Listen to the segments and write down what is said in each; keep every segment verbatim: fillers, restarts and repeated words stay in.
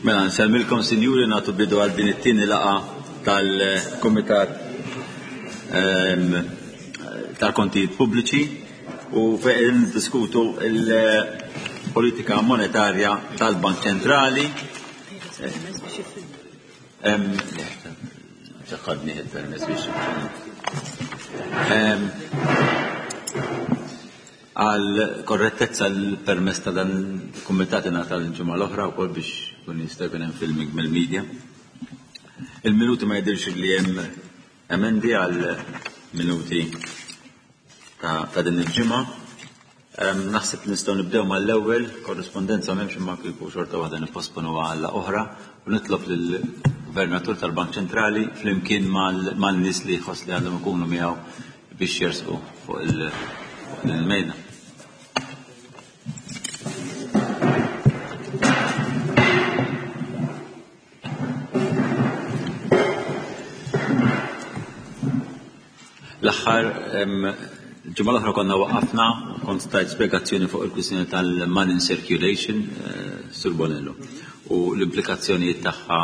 Mela, nsellmilkom sinjuri nagħtu bidu għal din it-tieni laqgħa tal-Kumitat ehm, tal-Kontijiet Pubbliċi u fejn niddiskutu il-politika monetarja tal-Bank Ċentrali. Ehm, ċaqqadni il-permess biex. Ehm, għal korrettezza l-permess ta' dan il-kumitat ingħata l-ġimgħa l-oħra wkoll biex kun jista' jkun hemm filming mill-media. Il-minuti ma jidhirx li hemm emendi għal minuti ta', ta din il-ġimgħa. Naħseb li nistgħu nibdew mal-ewwel korrispondenza m'hemmx imma kieku xorta waħda nipposponu għal oħra u nitlob lill-Gvernatur tal-Bank Ċentrali flimkien mal-nies li jħoss li għandhom ikunu miegħu biex jersqu fuq il-mejda. L-aħħar ġimgħa l-oħra konna waqafna, kont tajt spjegazzjoni fuq il-kwistjoni tal-money in circulation, Sur Bonello, u l-implikazzjonijiet tagħha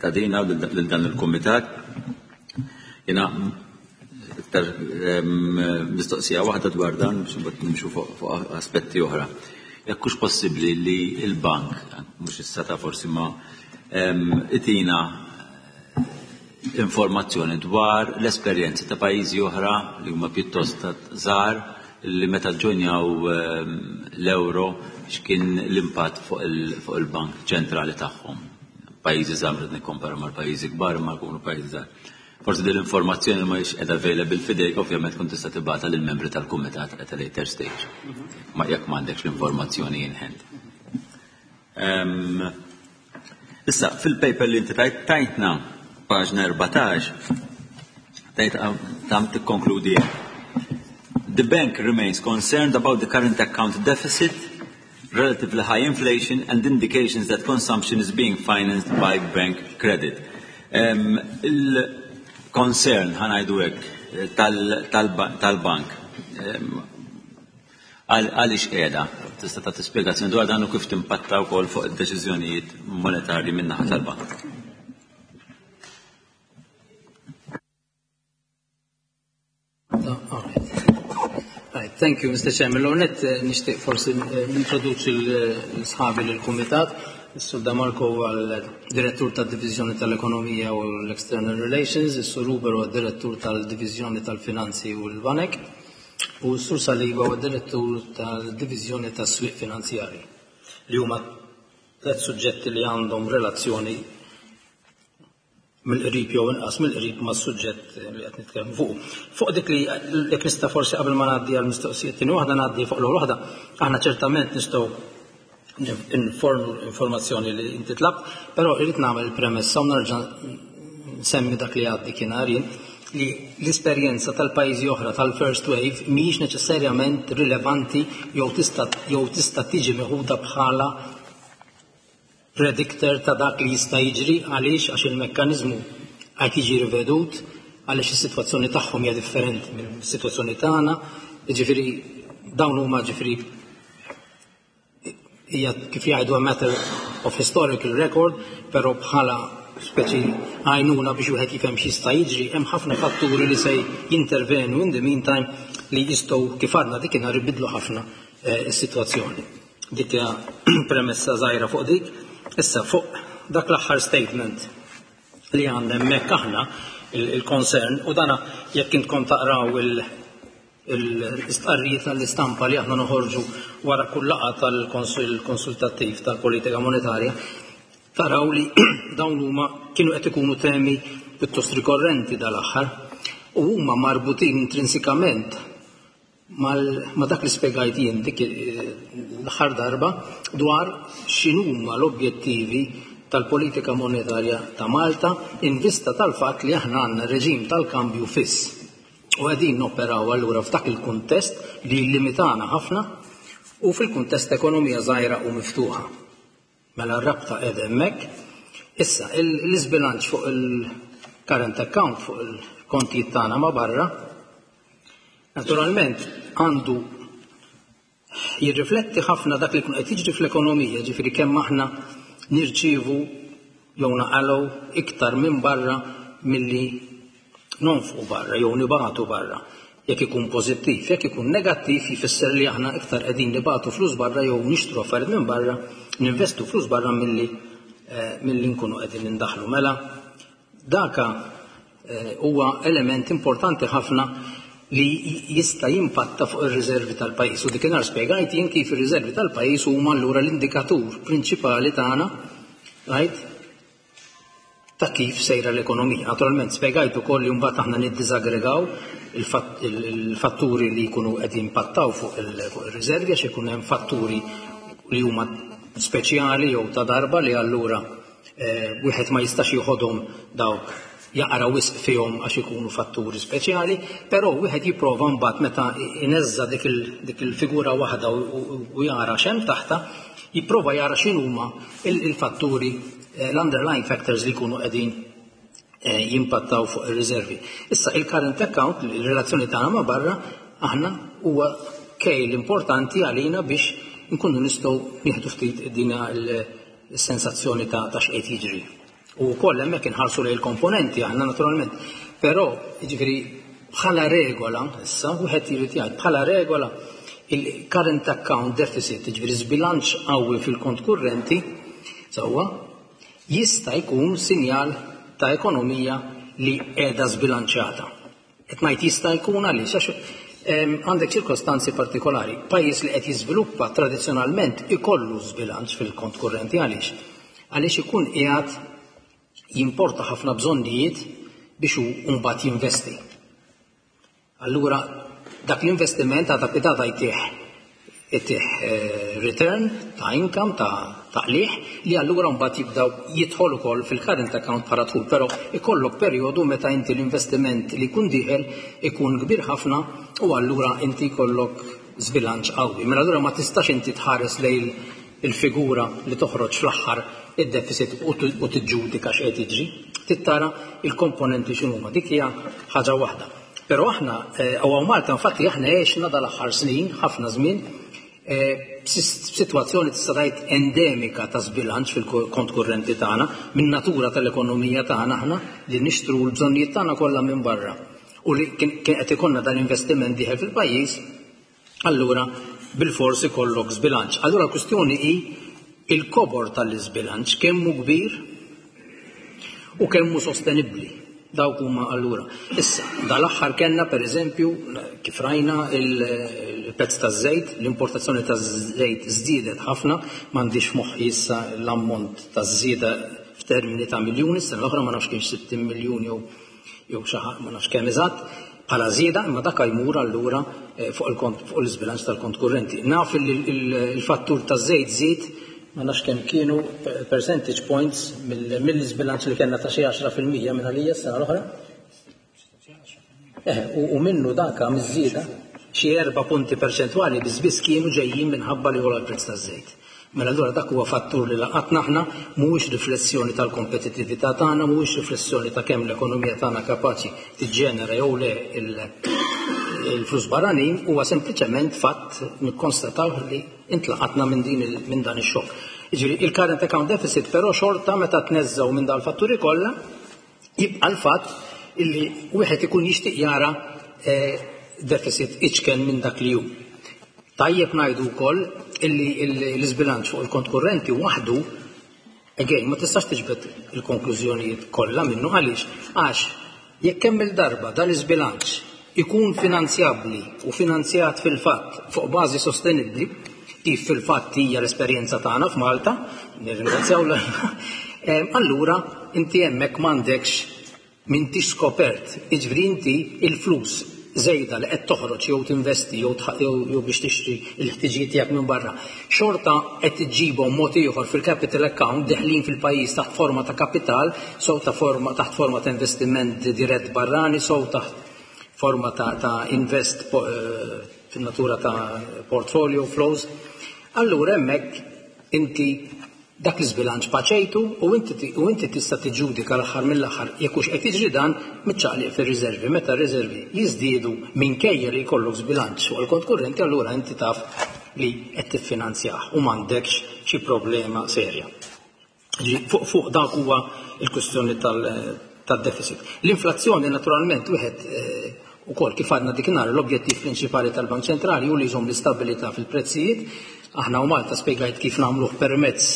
ta' dina lil dan il-kumitat. Jiena iktar mistoqsija waħda dwar dan biex imbagħad nimxu fuq aspetti oħra. Jekk hux possibbli li l-bank, mhux issa ta' forsi ma itina informazzjoni dwar l-esperjenzi ta' pajjiżi oħra li huma pjuttost żgħar li meta ġonjaw l-euro x'kien l-impatt fuq il-Bank Ċentrali tagħhom. Pajjiżi żgħar meta nikkompara mal-pajjiżi kbar imma jkunu pajjiżi żgħar. Forsi din l-informazzjoni ma hix qiegħda available f'idejk, ovvjament tkun tista' tibgħatha lill-membri tal-kumitat at a later stage. Ma jekk m'għandekx l-informazzjoni in hand. Issa, fil-paper li inti tajt tajtna paġna erbatax, tajt tam tikkonkludi. The bank remains concerned about the current account deficit, relatively high inflation and indications that consumption is being financed by bank credit. Um, il-concern, ħanajdu hekk, tal-bank, għaliex qiegħda? Tista' tagħti spjegazzjoni dwar dan u kif timpatta wkoll fuq id-deċiżjonijiet monetarji min-naħa tal-bank. Oh, all right. Right, thank you, Mister Chairman. L-għonet nishtiq forsi nintroduċi l-sħabi l-Kumitat. Is-Sur Damarco huwa l-Direttur tad-Diviżjoni tal-Ekonomija u l-External Relations, is-Sur Huber huwa d-Direttur tal-Diviżjoni tal-Finanzi u l-Banek, u s-Sur Saliba huwa d-Direttur tal-Diviżjoni tas-Swieq Finanzjarji, li huma tliet suġġetti li għandhom relazzjoni mill-qrib jew inqas mill-qrib mas-suġġett li qed nitkellmu fuq. Fuq dik li jekk nista' forsi qabel ma ngħaddi għall-mistoqsijiet tieni waħda ngħaddi fuq l-ewwel waħda, aħna ċertament nistgħu informu informazzjoni li inti tlabt, però irrid nagħmel il-premessa u nerġa' nsemmi dak li għaddi kien għarien li l-esperjenza tal-pajjiżi oħra tal-first wave mhijiex neċessarjament rilevanti jew tista' jew tista' tiġi meħuda bħala predictor ta' dak li jista' jiġri. Għaliex? Għax il-mekkaniżmu qed jiġi rivedut, għaliex is-sitwazzjoni tagħhom hija differenti mill-sitwazzjoni tagħna, jiġifieri dawn huma ġifieri hija kif jgħidu a matter of historical record, però bħala speċi għajnuna biex wieħed jifhem x'jista' jiġri, hemm ħafna fatturi li se jintervenu in the meantime li jistgħu kif għadna dik inhar ibidlu ħafna is-sitwazzjoni. Dik hija premessa żgħira fuq dik. Issa fuq dak l-aħħar statement li għandna hemmhekk aħna il-concern, u dana jekk intkom taqraw l-istqarrijiet tal-istampa li aħna noħorġu wara kull laqgħa tal-Konsil Konsultattiv tal-Politika Monetarja, taraw li dawn huma kienu qed ikunu temi pjuttost rikorrenti dal-aħħar u huma marbutin intrinsikament ma dak li spjegajt jien dik l-aħħar darba dwar x'inhuma l-objettivi tal-politika monetarja ta' Malta in vista tal-fatt li aħna għandna reġim tal-kambju fiss. U qegħdin noperaw allura f'dak il-kuntest li limitana ħafna u fil-kuntest ekonomija żgħira u miftuħa. Mela r-rabta qiegħda hemmhekk. Issa l-iżbilanċ fuq il-current account, fuq il-kontijiet tagħna ma' barra, naturalment għandu jirrifletti ħafna dak li jkun qed jiġri fl-ekonomija, ġifieri kemm aħna nirċievu jew naqalgħu iktar minn barra milli nonfqu barra jew nibagħtu barra. Jekk ikun pożittiv, jekk ikun negattiv jfisser li aħna iktar qegħdin nibagħtu flus barra jew nixtru affarijiet minn barra, ninvestu flus barra milli eh, milli nkunu qegħdin indaħlu. Mela daka eh, huwa element importanti ħafna li jista' jimpatta fuq ir-riservi tal-pajjiż. U dikinhar spjegajt jien kif ir-riservi tal-pajjiż huma allura l-indikatur prinċipali tagħna, right, ta' kif sejra l-ekonomija. Naturalment spjegajt ukoll li mbagħad aħna niddiżaggregaw il-fatturi li jkunu qed jimpattaw fuq ir-riservi għax ikun hemm fatturi li huma speċjali jew ta' darba li allura eh, wieħed ma jistax jieħodhom dawk jaqra wisq fihom għax ikunu fatturi speċjali, però wieħed jipprova mbagħad meta ineżża dik il-figura waħda u jara x'hemm taħta, jipprova jara x'inhuma il-fatturi, l-underlying factors li jkunu qegħdin jimpattaw fuq ir-riservi. Issa il-current account, il-relazzjoni tagħna ma' barra, aħna huwa kejl importanti għalina biex nkunu nistgħu nieħdu ftit dina l-sensazzjoni ta' x'qed jiġri. U wkoll hemmhekk inħarsu lejn il-komponenti aħna naturalment. Però jiġifieri bħala regola, issa wieħed jrid jgħid bħala regola il-current account deficit, jiġifieri żbilanċ qawwi fil-kont kurrenti, sewwa, jista' jkun sinjal ta' ekonomija li qiegħda żbilanċjata. Qed ngħid jista' jkun għaliex għax għandek ċirkostanzi partikolari. Pajjiż li qed jiżviluppa tradizzjonalment ikollu żbilanċ fil-kont kurrenti għaliex? Għaliex ikun qiegħed jimporta ħafna bżonnijiet biex hu mbagħad jinvesti. Allura dak l-investiment għadha pitata jtih jtih return ta' income ta' taqliħ li allura mbagħad jibdaw jidħol ukoll fil-current account bħala dħul, però ikollok perjodu meta inti l-investiment li jkun dieħel ikun kbir ħafna u allura inti jkollok żbilanċ qawwi. Mela allura ma tistax inti tħares lejn il-figura li toħroġ fl-aħħar id-deficit u tiġġudika x'qed jiġri. Tittara il-komponenti x'inhuma, dik hija ħaġa waħda. Però aħna hawn Malta infatti aħna għexna dal-aħħar snin, ħafna żmien, b'sitwazzjoni tista' tgħid endemika ta' żbilanċ fil-kont kurrenti tagħna, min natura tal-ekonomija tagħna aħna li nixtru l-bżonnijiet tagħna kollha minn barra. U li kien qed ikollna dan l-investiment dieħel fil-pajjiż, allura bilfors ikollok żbilanċ. Allura l-kwistjoni hi il-kobor tal-iżbilanċ kemm hu kbir u kemm hu sostenibbli. Dawk huma allura. Issa, dal-aħħar kellna pereżempju kif rajna il-prezz taż-żejt, l-importazzjoni taż-żejt żdiedet ħafna, m'għandix moħħi issa l-ammont taż-żieda f'termini ta' miljuni, s-sena l-oħra ma nafx kienx sittin miljun jew jew xi ħadd ma nafx kemm eżatt bħala żieda, imma dak jmur allura fuq il-kont fuq l-iżbilanċ tal-kont kurrenti. Naf li l-fattur taż-żejt żied ma nafx kemm kienu percentage points mill-iżbilanċ li kellna ta' xi għaxra fil-mija minn għalija s-sena l-oħra. Eh, u minnu daka miż-żieda xi erba' punti perċentwali biss biss kienu ġejjin minħabba li għola l-prezz taż-żejt. Mela allura dak huwa fattur li laqatna aħna, mhuwiex riflessjoni tal-kompetittività tagħna, mhuwiex riflessjoni ta' kemm l-ekonomija tagħna kapaċi tiġġenera jew le il-flus barranin, huwa sempliċement fatt nikkonstataw li intlaqatna minn din minn dan ix-xokk. Jiġifieri il-current account deficit però xorta meta tneżżgħu minn dal-fatturi kollha jibqa' l-fatt illi wieħed ikun jixtieq jara deficit iċken minn dak li hu. Tajjeb ngħidu wkoll illi l-iżbilanċ fuq il-kont kurrenti waħdu, again, ma tistax tiġbed il-konklużjonijiet kollha minnu għaliex, għax jekk kemm il-darba dan l-iżbilanċ ikun finanzjabbli u finanzjat fil-fatt fuq bażi sostenibbli, kif fil-fatt hija l-esperjenza tagħna f'Malta, nirringrazzjaw l allura inti hemmhekk m'għandekx m'intix skopert, jiġifieri inti il-flus żejda li qed toħroġ jew tinvesti jew jew biex tixtri l-ħtiġijiet tiegħek minn barra, xorta qed iġġibhom mod ieħor fil-capital account deħlin fil-pajjiż taħt forma ta' kapital, sew ta' forma taħt forma ta' investiment dirett barrani, sew taħt forma ta', ta' invest fin-natura ta' portfolio flows. Allura hemmhekk inti dak l-iżbilanċ paċejtu u inti u inti tista' tiġġudika l-aħħar mill-aħħar jekk hux qed jiġri dan miċċaqliq fir-riservi. Meta r-riservi jiżdiedu minkejja li jkollok żbilanċ fuq il-kont kurrenti, allura inti taf li qed tiffinanzjah u m'għandekx xi problema serja. Fuq fuq dak huwa il-kwistjoni tad-deficit. L-inflazzjoni naturalment wieħed ukoll kif għadna dikinhar l-objettiv prinċipali tal-Bank Ċentrali hu li jżomm l-istabilità fil-prezzijiet. Aħna u Malta spjegajt kif nagħmluh permezz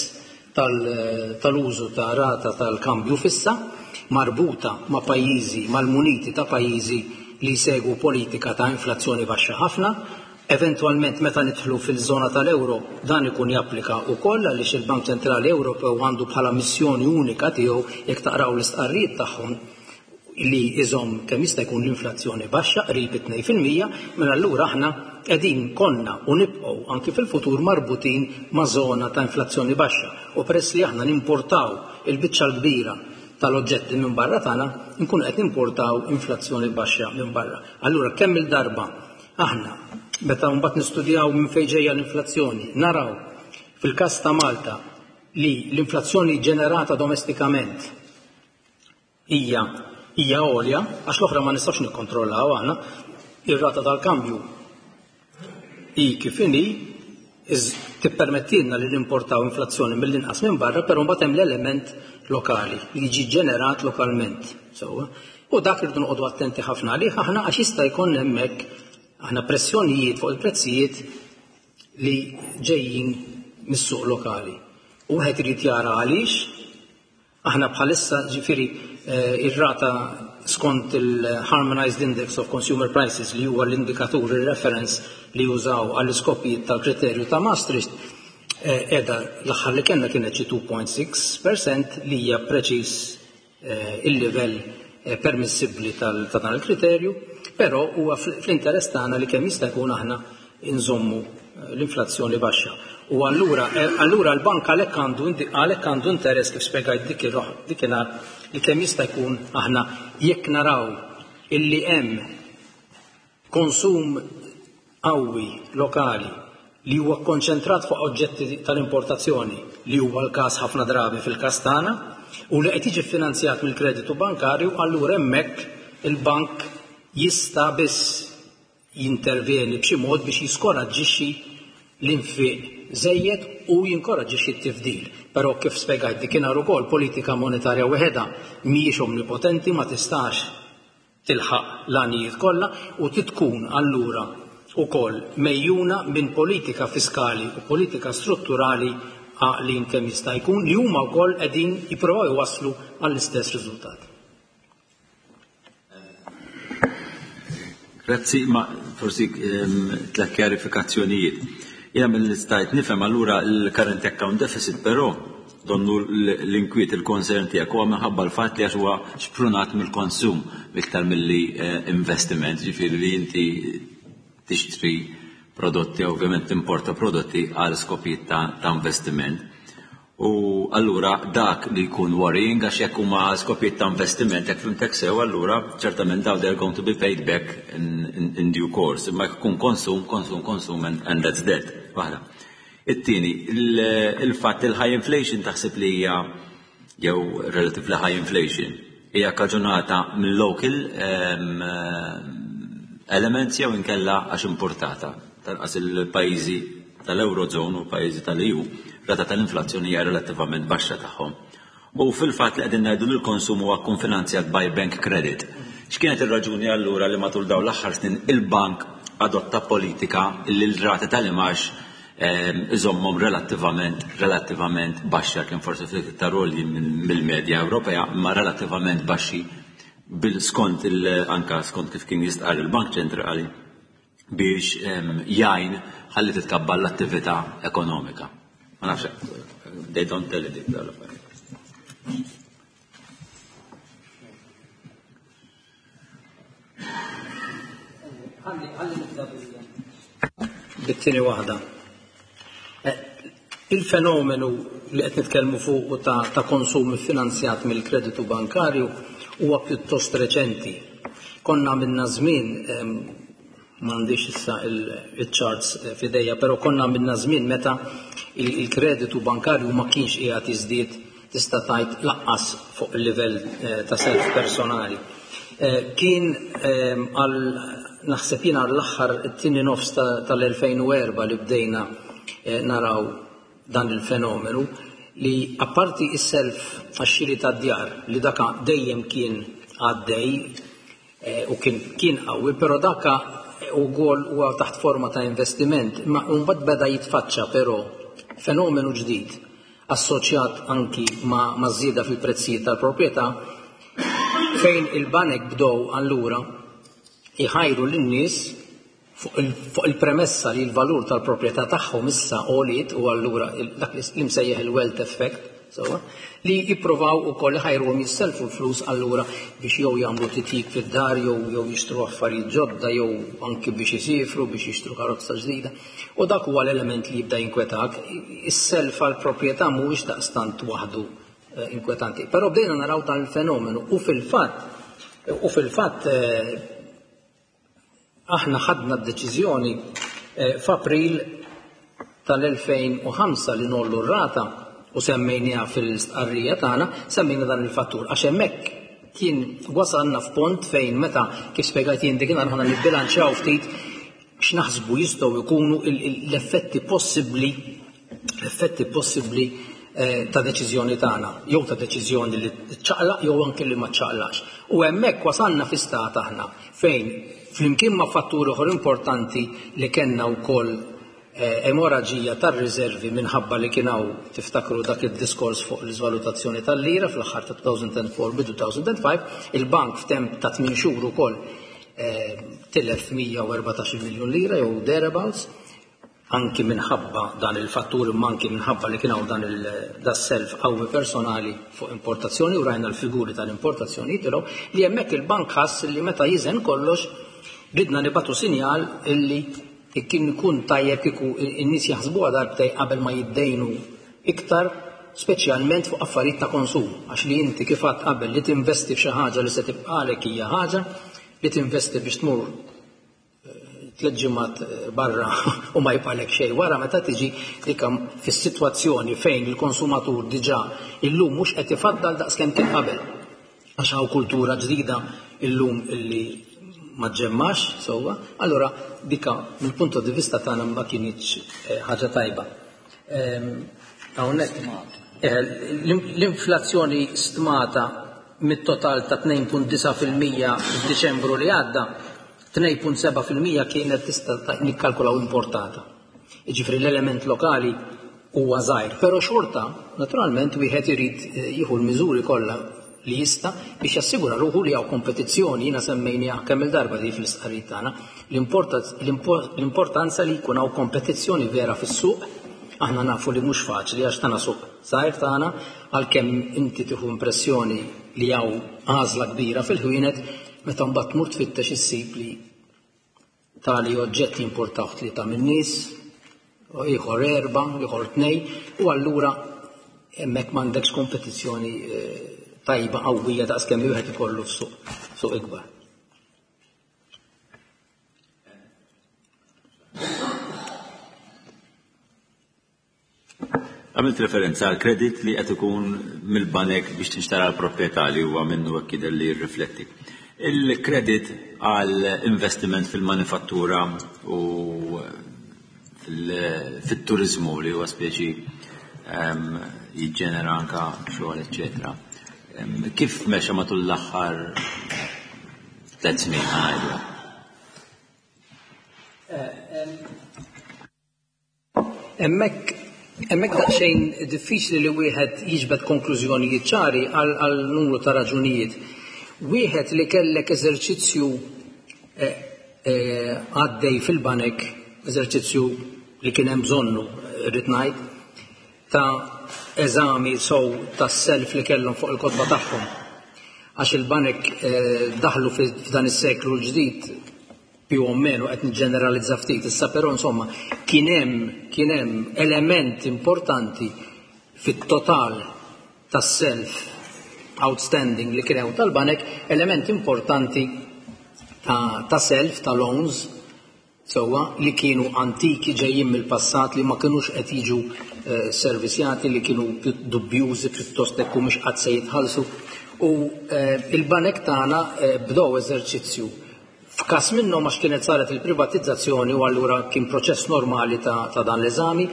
tal-użu ta' rata tal-kambju fissa marbuta ma' pajjiżi, mal-muniti ta' pajjiżi li jsegwu politika ta' inflazzjoni baxxa ħafna. Eventualment meta nidħlu fil-żona tal-euro dan ikun japplika wkoll għaliex il-Bank Ċentrali Ewropew għandu bħala missjoni unika tiegħu jekk taqraw l-istqarrijiet tagħhom li iżomm kemm jista' jkun l-inflazzjoni baxxa qrib it-tnejn fil-mija, mela allura aħna qegħdin konna u nibqgħu anki fil-futur marbutin ma' żona ta' inflazzjoni baxxa. U peress li aħna nimportaw il-biċċa l-kbira tal-oġġetti minn barra tagħna, nkunu qed nimportaw inflazzjoni baxxa minn barra. Allura kemm il-darba aħna meta mbagħad nistudjaw minn fejn ġejja l-inflazzjoni, naraw fil-każ ta' Malta li l-inflazzjoni ġenerata domestikament hija hija għolja, għax l-oħra ma nistax nikkontrollaw aħna, ir-rata tal-kambju hi kif inhi tippermettilna li nimportaw inflazzjoni mill-inqas minn barra, però mbagħad hemm l-element lokali li jiġi ġenerat lokalment. Sewwa. U dak irridu noqogħdu attenti ħafna għalih aħna għax jista' jkun hemmhekk aħna pressjonijiet fuq il-prezzijiet li ġejjin mis-suq lokali. U wieħed irid jara għaliex aħna bħalissa ġifieri ir-rata skont il-Harmonized Index of Consumer Prices li huwa l-indikatur, il-reference li jużaw għall-iskopijiet tal-kriterju ta' Maastricht, qiegħda l-aħħar li kellna kienet xi two point six percent li hija preċiż il-livell permissibbli ta' dan il-kriterju, però huwa fl-interess tagħna li kemm jista' jkun aħna inżommu l-inflazzjoni baxxa. U allura, allura l-bank għalhekk għandu għalhekk għandu interess kif spjegajt dikinhar li kemm jista' jkun aħna jekk naraw illi hemm konsum qawwi lokali li huwa kkonċentrat fuq oġġetti tal-importazzjoni li huwa l-każ ħafna drabi fil-każ tagħna u li qed jiġi ffinanzjat mill-kreditu bankarju, allura hemmhekk il-bank jista' biss jintervjeni b'xi mod biex jiskoraġġixxi l-infiq żejjed u jinkoraġġixxi t-tifdil. Però kif spjegajt dikinhar ukoll politika monetarja waħedha mhijiex omnipotenti, ma tistax tilħaq l-għanijiet kollha u titkun allura ukoll mejjuna minn politika fiskali u politika strutturali għaqlin kemm jista' jkun li huma wkoll qegħdin jippruvaw iwasslu għall-istess riżultat. Grazzi, ma forsi tliet kjarifikazzjonijiet. Jiena mill-istajt nifhem allura l-current account deficit, però donnu l-inkwiet il-concern tiegħek huwa minħabba l-fatt li għax huwa xprunat mill-konsum iktar milli investiment, ġifieri li inti tixtri prodotti, ovvjament timporta prodotti għal skopijiet ta' investiment. U allura dak li jkun worrying għax jekk huma għal skopijiet ta' investiment, jekk fimtek sew, allura ċertament dawn they are going to be paid back in, in, in due course. Imma jekk ikun konsum, konsum, konsum and, and that's that. Waħda. It-tieni, il-fatt il-high inflation taħseb li hija jew relatively high inflation hija kkaġunata mill-local um, elements jew inkella għax importata. Tanqas il-pajjiżi tal-Eurozone u pajjiżi tal-E U rata tal-inflazzjoni hija relattivament baxxa tagħhom. U fil-fatt li qegħdin ngħidu li l-konsum huwa konfinanzjat by bank credit. X'kienet ir-raġuni allura li matul dawn l-aħħar snin il-bank adotta politika li l-rati tal-imax iżommhom relattivament relattivament baxxa, kien forsi ftit iktar għolji mill-medja Ewropea, imma relattivament baxxi bil skont il anka skont kif kien jistqar il-Bank Ċentrali biex jgħin ħalli titkabbar l-attività ekonomika. Ma nafx, they don't tell it dik l-affarijiet. Ħalli ħalli nibda bit-tieni waħda. Il-fenomenu li qed nitkellmu fuq ta', ta' konsum finanzjat mill-kreditu bankarju huwa pjuttost reċenti. Konna minna żmien, m'għandix issa il-charts f'idejja, però konna minna żmien meta il-kreditu bankarju ma kienx qiegħed jiżdied tista' tgħid laqqas fuq il-livell ta' self personali. Kien għal naħseb jien għall-aħħar it-tieni nofs tal-elfejn u erba' li bdejna naraw dan il-fenomenu li apparti is-self għax-xiri tad-djar li daka dejjem kien għaddej u kien kien qawwi, però daka ukoll huwa taħt forma ta' investiment, ma mbagħad beda jitfaċċa però fenomenu ġdid assoċjat anki ma' ma' żieda fil-prezzijiet tal-proprjetà, fejn il-banek bdew allura iħajru lin-nies fuq il-premessa li l-valur tal-proprjetà tagħhom issa għoliet, u allura dak li msejjaħ il-wealth effect, sewwa, li jippruvaw ukoll iħajruhom jisselfu l-flus allura biex jew jagħmlu titjib fid-dar, jew jew jixtru affarijiet ġodda, jew anki biex isifru, biex jixtru karozza ġdida. U dak huwa l-element li jibda jinkwetak. Is-self għall-proprjetà mhuwiex daqstant waħdu inkwetanti. Però bdejna naraw dan il-fenomenu u fil-fatt u fil-fatt aħna ħadna d-deċiżjoni f'April tal-elfejn u ħamsa li nollu r-rata u semmejniha fil-stqarrija tagħna, semmejna dan il-fattur għax hemmhekk kien wasalna f'pont fejn meta kif spjegajt jien dik aħna nibbilanċjaw ftit x'naħsbu jistgħu jkunu l-effetti possibbli l-effetti possibbli ta' deċiżjoni tagħna, jew ta' deċiżjoni li ċċaqlaq jew anke li ma ċċaqlaqx. U hemmhekk wasalna fi stat aħna fejn flimkien ma' fattur ieħor importanti li kellna wkoll emoraġija tar-riservi minħabba li kien hawn, tiftakru dak id-diskors fuq l-iżvalutazzjoni tal-lira fl-aħħar ta' two thousand four bidu two thousand five, il-bank f'temp ta' tmien xhur ukoll tilef mija u erbatax-il miljun lira jew thereabouts, anki minħabba dan il-fattur, imma anki minħabba li kien hawn dan il-self qawwi personali fuq importazzjoni, u rajna l-figuri tal-importazzjoni jitilgħu, li hemmhekk il-bank ħass li meta jiżen kollox ridna nibatu sinjal illi kien ikun tajjeb kieku n-nies jaħsbuha darbtej qabel ma jiddejnu iktar, speċjalment fuq affarijiet ta' konsum, għax li inti kif għedt qabel li tinvesti f'xi ħaġa li se tibqalek hija ħaġa, li tinvesti biex tmur tliet ġimgħat barra u ma jibqalek xejn wara, meta tiġi dik fis-sitwazzjoni fejn il-konsumatur diġà illum mhux qed ifaddal daqskemm kien qabel, għax hawn kultura ġdida illum illi ma ġemmax sewwa, allura dika mill-punt di vista tagħna ma kienx ħaġa tajba. Hawnhekk l-inflazzjoni stmata mit-total ta' tnejn punt disa' fil-mija f'Diċembru li għadda, tnejn punt seba' fil-mija kienet tista' nikkalkulaw importata. Jiġifieri l-element lokali huwa żgħir, però xorta naturalment wieħed irid jieħu l-miżuri kollha li jista' biex jassigura ruħu li hawn kompetizzjoni. Jiena semmejniha kemm il-darba di fl-istqarrijiet tagħna, l-importanza li jkun hawn kompetizzjoni vera fis-suq. Aħna nafu li mhux faċli għax tagħna suq żgħir tagħna, għalkemm inti tieħu impressjoni li hawn għażla kbira fil-ħwienet, meta mbagħad tmur tfittex issib li tali oġġetti importaw tlieta min-nies, ieħor erba', ieħor tnejn, u allura hemmhekk m'għandekx kompetizzjoni tajba qawwija daqskemm wieħed ikollu f'suq suq ikbar. Għamilt referenza għal kredit li qed ikun mill-banek biex tinxtara l-proprjetà li huwa minnu hekk jidher li jirrifletti. Il-kredit għal investiment fil-manifattura u fit-turizmu li huwa speċi jiġġenera anka xogħol, eċċetera. Kif mexa matul l-aħħar tliet snin ngħidu? Hemmhekk hemmhekk daqsxejn diffiċli li wieħed jiġbed konklużjonijiet ċari għal numru ta' raġunijiet. Wieħed li kellek eżerċizzju għaddej fil-banek, eżerċizzju li kien hemm bżonnu, rrid ngħid, ta' eżami sow tas-self li kellhom fuq il-kotba tagħhom. Għax il-banek daħlu f'dan is-seklu l-ġdid più o meno qed niġġeneralizza ftit issa, però insomma kien hemm kien hemm element importanti fit-total tas-self outstanding li kien hemm tal-banek, element importanti ta', ta' self, ta' loans, sewwa, li kienu antiki ġejjin mill-passat, li ma kinux qed jiġu eh, servisjati, li kienu dubjużi pjuttost hekk mhux qatt se jitħallsu. U eh, il-banek tagħna eh, bdew eżerċizzju F'każ minnhom għax kienet saret il-privatizzazzjoni u allura kien proċess normali ta', ta' dan l-eżami,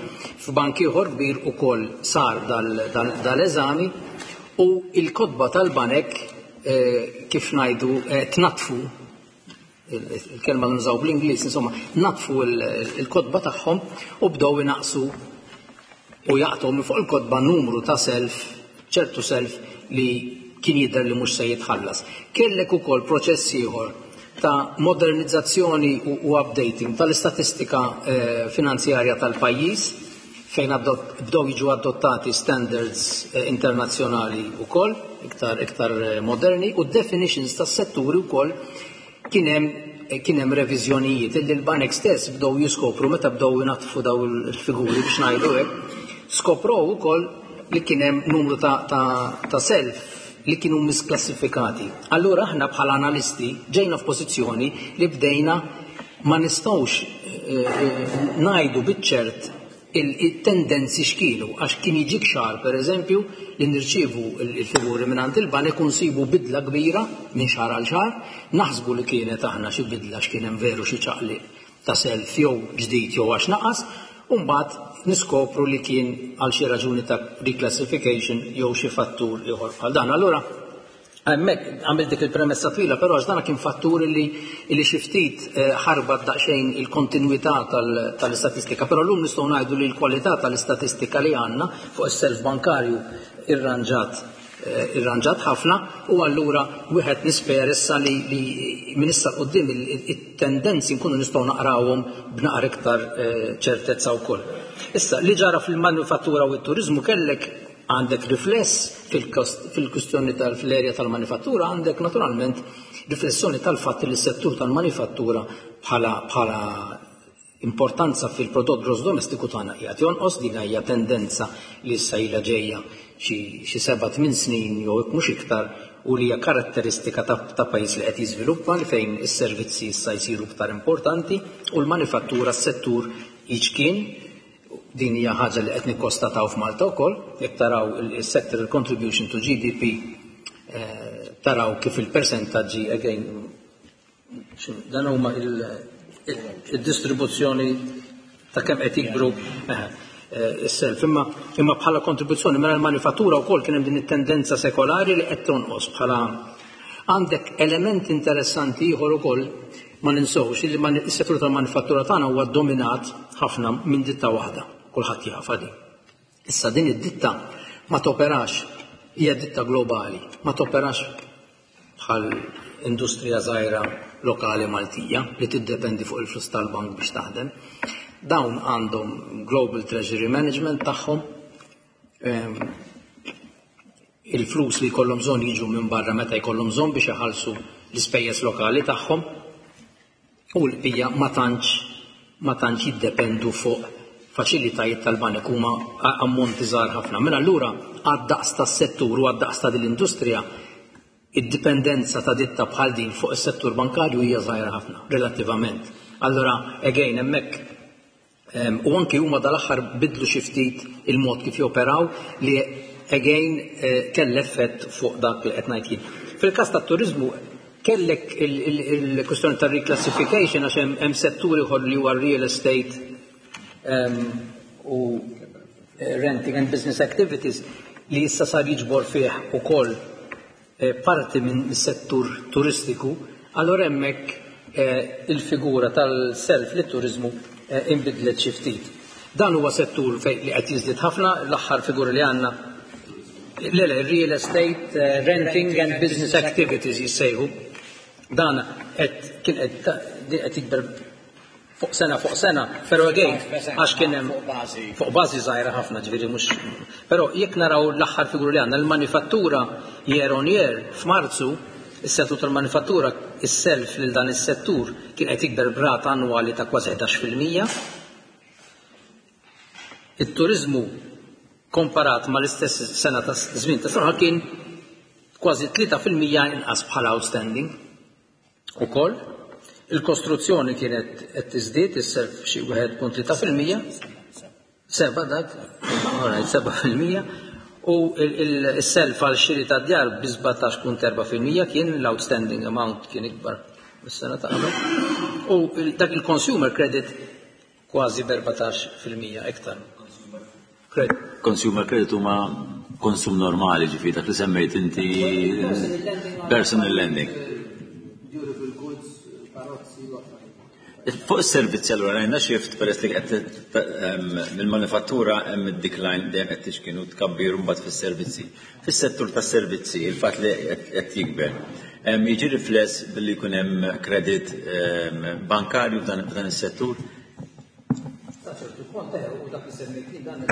f'bank ieħor kbir ukoll sar dal-eżami u il-kotba tal-banek eh, kif ngħidu eh, tnatfu, il-kelma nużaw bl-Ingliż, insomma, natfu il-kotba tagħhom u bdew inaqsu u jaqtgħu minn fuq il-kotba numru ta' self, ċertu self li kien jidher li mhux se jitħallas. Kellek ukoll proċess ieħor ta' modernizzazzjoni u, u updating tal-istatistika eh, finanzjarja tal-pajjiż fejn bdew jiġu adottati standards eh, internazzjonali wkoll iktar iktar eh, moderni u definitions tas-setturi wkoll kien hemm kien hemm reviżjonijiet illi l-banek stess bdew jiskopru meta bdew jinatfu daw il-figuri biex ngħidu hekk, skoprow ukoll li kien hemm numru ta', ta, ta' self li kienu misklassifikati. Allura aħna bħala analisti ġejna f'pożizzjoni li bdejna ma nistgħux eh, eh, ngħidu biċ-ċert il-tendenzi x'kienu, għax kien jiġik xahar per eżempju li nirċievu il-figuri minn għand il-banek u nsibu bidla kbira minn xahar għal xahar, naħsbu li kienet aħna xi bidla x'kien hemm veru xi ċaqli ta' self jew ġdid jew għax naqas, u mbagħad niskopru li kien għal xi raġuni ta' reclassification jew xi fattur ieħor bħal dan. Allura hemmhekk għamilt dik il-premessa twila, però għax dan kien fattur li li xi ftit eh, ħarbat daqsxejn il-kontinwità tal-istatistika, però llum nistgħu ngħidu li l-kwalità tal-istatistika li għandna fuq is-self bankarju irranġat eh, irranġat ħafna u allura wieħed nisper issa li, li minn issa quddiem it-tendenzi nkunu nistgħu naqrawhom b'naqra iktar eh, ċertezza wkoll. Issa li ġara fil-manifattura u t-turizmu kellek għandek rifless fil-kustjoni tal-erja tal-manifattura, għandek naturalment riflessjoni tal-fatt li s-settur tal-manifattura bħala bħala importanza fil-prodott gross domestiku tagħna qiegħed jonqos. Din hija tendenza li issa ilha ġejja xi seba' tmien snin jew mhux iktar u li hija karatteristika ta', ta pajjiż li qed jiżviluppa li fejn is-servizzi issa jsiru iktar importanti u l-manifattura s-settur jiċkien. Din hija ħaġa li qed nikkostataw f'Malta wkoll, jekk taraw il-sectoral contribution to G D P, eh, taraw kif il-persentaġġi, again, dan huma il-distribuzzjoni ta' kemm qed jikbru eh, is-self. Imma imma bħala kontribuzzjoni mela l-manifattura wkoll kien hemm din it-tendenza sekolari li qed tonqos bħala. Għandek element interessanti ieħor ukoll, ma ninsewx li is-settur tal-manifattura tagħna huwa dominat ħafna minn ditta waħda, kulħadd jafha din. Issa din id-ditta ma toperax, hija ditta globali, ma toperax bħal industrija żgħira lokali Maltija li tiddependi fuq il-flus tal-bank biex taħdem. Dawn għandhom Global Treasury Management tagħhom, ehm, il-flus li jkollhom bżonn jiġu minn barra meta jkollhom bżonn biex iħallsu l-ispejjeż lokali tagħhom u l-bqija ma tantx ma tantx jiddependu fuq faċilitajiet tal-banek, huma ammonti żgħar ħafna. Mela allura għad-daqs tas-settur u għad-daqs ta' din l-industrija, id-dipendenza ta' ditta bħal din fuq is-settur bankarju hija żgħira ħafna relattivament. Allura again hemmhekk u anki huma dal-aħħar bidlu xi ftit il-mod kif joperaw li again eh, kell effett fuq dak li qed ngħid jien. Fil-każ tat-turiżmu kellek il-kwestjoni ta' reclassification għax hemm setturi ieħor li huwa real estate u eh, renting and business activities li issa sar jiġbor fih ukoll eh, parti minn settur turistiku, allora hemmhekk eh, il-figura tal-self li turiżmu inbidlet xi ftit. Dan huwa settur fejn li qed jiżdied ħafna, l-aħħar figura li għandna. Le, le, real estate, renting and business activities jissejħu. Dan qed kien qed jikber fuq sena fuq sena, però again għax kien hemm fuq bażi żgħira ħafna, ġifieri mhux. Però jekk naraw l-aħħar figura li għandna, l-manifattura year on year f'Marzu, is-settur tal-manifattura, is-self lil dan is-settur kien qed jikber b'rata annwali ta' kważi ħdax fil-mija. Il-turizmu komparat ma l-istess sena ta' żmien ta' sena kien kważi tlieta fil-mija inqas bħala outstanding. Ukoll il-kostruzzjoni kienet qed tiżdied is-self xi wieħed punt tlieta fil-mija, seba dak, alright, seba fil-mija, u il-self għal xiri ta' djar bi sbatax punt erba' fil-mija kien l-outstanding amount kien ikbar. mis-sena ta' qabel. U dak il-consumer credit kważi b'erbatax fil-mija iktar. Credit. Consumer credit huma konsum normali, ġifieri dak li semmejt inti personal lending. Durable goods, karozzi u affarijiet. Fuq is-servizzi allura rajna shift peress li qed mill-manifattura hemm id-decline dejjem qed tixkinu tkabbir mbagħad fis-servizzi. Fis-settur tas-servizzi il-fatt li qed jikber jiġi rifless billi jkun hemm credit bankarju f'dan is-settur. Sa ċertu punt u dak li semmejt dan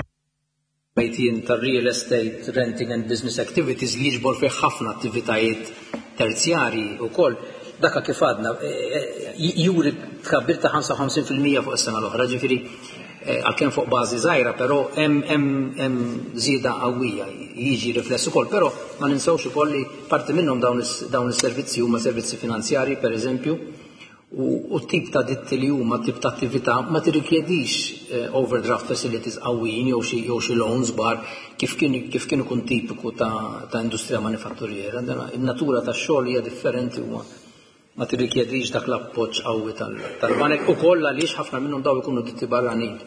Mejtien tar-real estate, renting and business activities li jiġbor fih ħafna attivitajiet terzjarji wkoll. Daka kif għadna, juri tkabbir ta' ħamsa u ħamsin fil-mija fuq is-sena l-oħra, ġifieri għalkemm fuq bażi żgħira, però hemm hemm żieda qawwija jiġi rifless ukoll, però ma ninsewx ukoll li parti minnhom dawn is-servizzi huma servizzi finanzjarji pereżempju, u t-tip ta' ditti li huma tip ta' attività ma tirrikjedix overdraft facilities qawwijin jew xi jew xi loans bar kif kien kif kien ikun tipiku ta' ta' industrija manifatturiera. In-natura tax-xogħol hija differenti huwa ma tirrikjedix dak l-appoġġ qawwi tal-banek ukoll għaliex ħafna minnhom daw ikunu ditti barranin.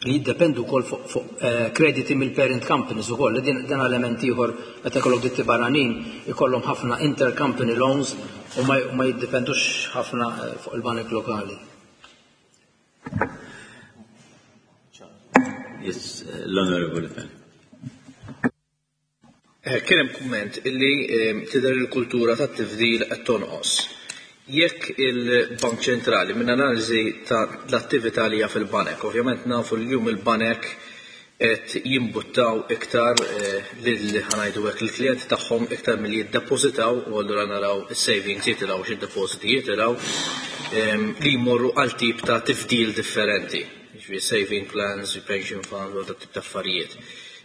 Li jiddependu wkoll fuq fuq krediti mill-parent companies ukoll, din dan element ieħor meta jkollok ditti barranin ikollhom ħafna intercompany loans u ma jiddependux ħafna fuq il-banek lokali. Yes, l-Onorevoli Fenech. Kien hemm kumment illi tidher il-kultura tat-tifdil qed tonqos. Jekk il-Bank Ċentrali minn analiżi ta' l-attività li hija fil-banek, ovvjament nafu li llum il-banek qed jimbuttaw iktar lil ħanajdu hekk il-klijenti tagħhom iktar milli jiddepożitaw, u allura naraw is-savings jitilgħu xi depositi jitilgħu li jmorru għal tip ta' tifdil differenti, jiġifieri saving plans, pension funds u dak tip ta' affarijiet.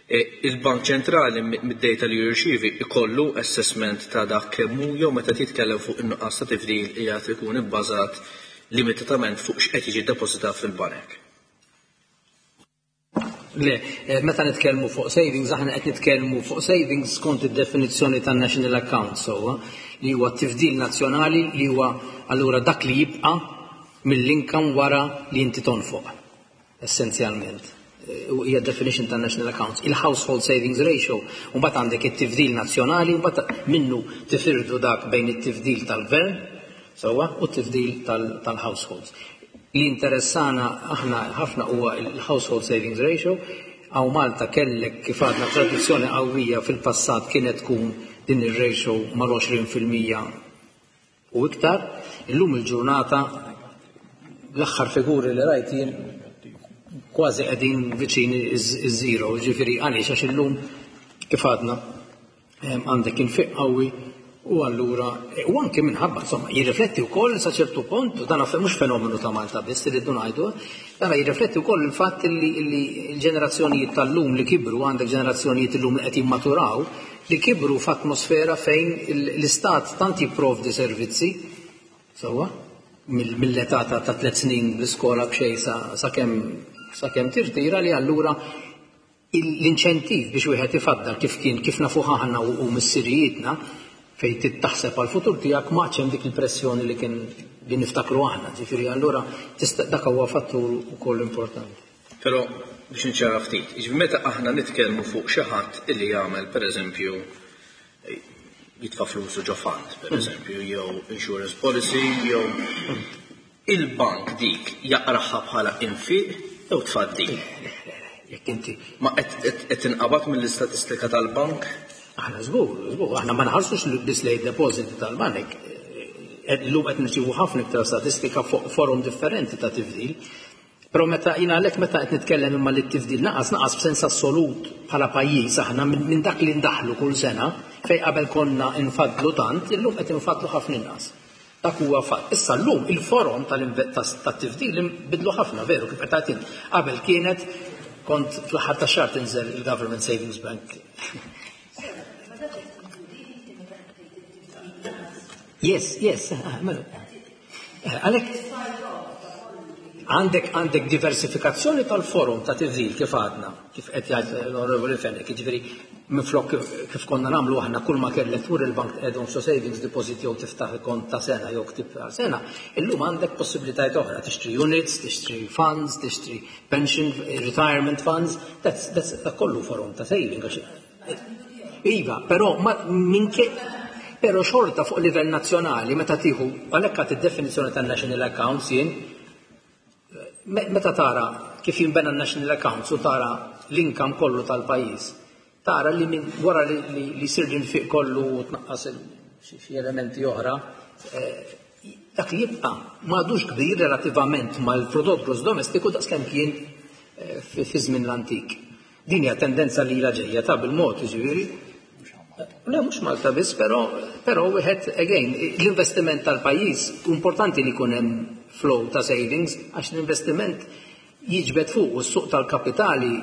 Il-Bank Ċentrali mid-data li jirċievi ikollu assessment ta' dak kemm hu jew meta titkellem fuq in-nuqqas ta' tifdil qiegħed ikun ibbażat limitatament fuq x'qed jiġi ddepożitat fil-banek. Le, meta nitkellmu fuq savings, aħna qed nitkellmu fuq savings skont id-definizzjoni tan-National Account sewwa, li huwa t-tifdil nazzjonali li huwa allura dak li jibqa' mill-income wara li inti tonfoq, essenzjalment. Hija definition tan National Accounts, il-household savings ratio, u mbagħad għandek it-tifdil nazzjonali u mbagħad minnu tifirdu dak bejn it-tifdil tal-gvern sewwa u t-tifdil tal-households. Li interessana aħna ħafna huwa il-household savings ratio. Hawn Malta kellek kif għadna tradizzjoni qawwija fil-passat kienet tkun din ir-ratio mal-għoxrin fil-mija u iktar. Illum il-ġurnata l-aħħar figuri li rajt jien kważi qegħdin viċin iż-zero, ġifieri għaliex għax illum kif għadna għandek infiq qawwi u allura u anke minħabba insomma jirrifletti wkoll sa ċertu punt, dan mhux fenomenu ta' Malta biss irridu ngħidu, dan jirrifletti wkoll il-fatt li l-ġenerazzjonijiet tal-lum li kibru, għandek ġenerazzjonijiet illum li qed jimmaturaw, li kibru f'atmosfera fejn l-istat tant jipprovdi servizzi sewwa mill-età ta' tliet snin bl-iskola b'xejn sakemm sakemm tirtira, li allura l-inċentiv biex wieħed ifaddal kif kien kif nafuh aħna u missirijietna fejn titaħseb għal futur tiegħek ma hemm dik il-pressjoni li kien li niftakru aħna, ġifieri allura dak huwa fattur ukoll importanti. Però biex niċċara ftit, jiġifieri meta aħna nitkellmu fuq xi ħadd illi jagħmel pereżempju jitfa' flusu ġo fund, pereżempju, jew insurance policy, jew il-bank dik jaqraħha bħala infiq jew tfaddil. Jekk inti ma qed tinqabad mill-istatistika tal-bank? Aħna żgur, żgur, aħna ma nħarsux biss lejn deposit tal-banek. Illum qed nirċievu ħafna iktar statistika fuq forum differenti ta' tifdil. Però meta jiena għalhekk meta qed nitkellem imma li t-tifdil naqas naqas b'sens assolut bħala pajjiż aħna minn dak li ndaħlu kull sena fejn qabel konna nfaddlu tant, illum qed infaddlu ħafna inqas. Dak huwa fatt. Issa llum il-forum tat-tifdil bidlu ħafna, veru kif qed tgħid. Qabel kienet kont fl-aħħar tax-xahar tinżel il-Government Savings Bank. Yes, yes, mela. Għalhekk Għandek għandek diversifikazzjoni tal-forum ta' tifdil kif għadna, kif qed jgħid l-Onorevoli Fenech, jiġifieri minflok kif konna nagħmlu aħna kull ma kellek tmur il-bank tqegħdhom xo savings deposit jew tiftaħ kont ta' sena jew ktib ta' sena, illum għandek possibilitajiet oħra, tixtri units, tixtri funds, tixtri pension, retirement funds, that's, that's dak kollu forum ta' saving. Iva, però ma minke però xorta fuq livell nazzjonali meta tieħu għalhekk għad id-definizzjoni tan-national accounts jien meta tara kif jinbena n-national accounts u tara l-income kollu tal-pajjiż, tara li minn wara li, li, li jsir l-infiq kollu u tnaqqas xi elementi oħra, dak li jibqa' m'għadux kbir relattivament mal-prodott gross domestiku daqskemm kien fi żmien l-antik. Din hija tendenza li ilha ġejja ta' bil-mod, jiġifieri. Le, mhux Malta biss, però però wieħed again, l-investiment tal-pajjiż importanti li jkun hemm flow ta' savings għax l-investiment jiġbed fuq u s-suq tal-kapitali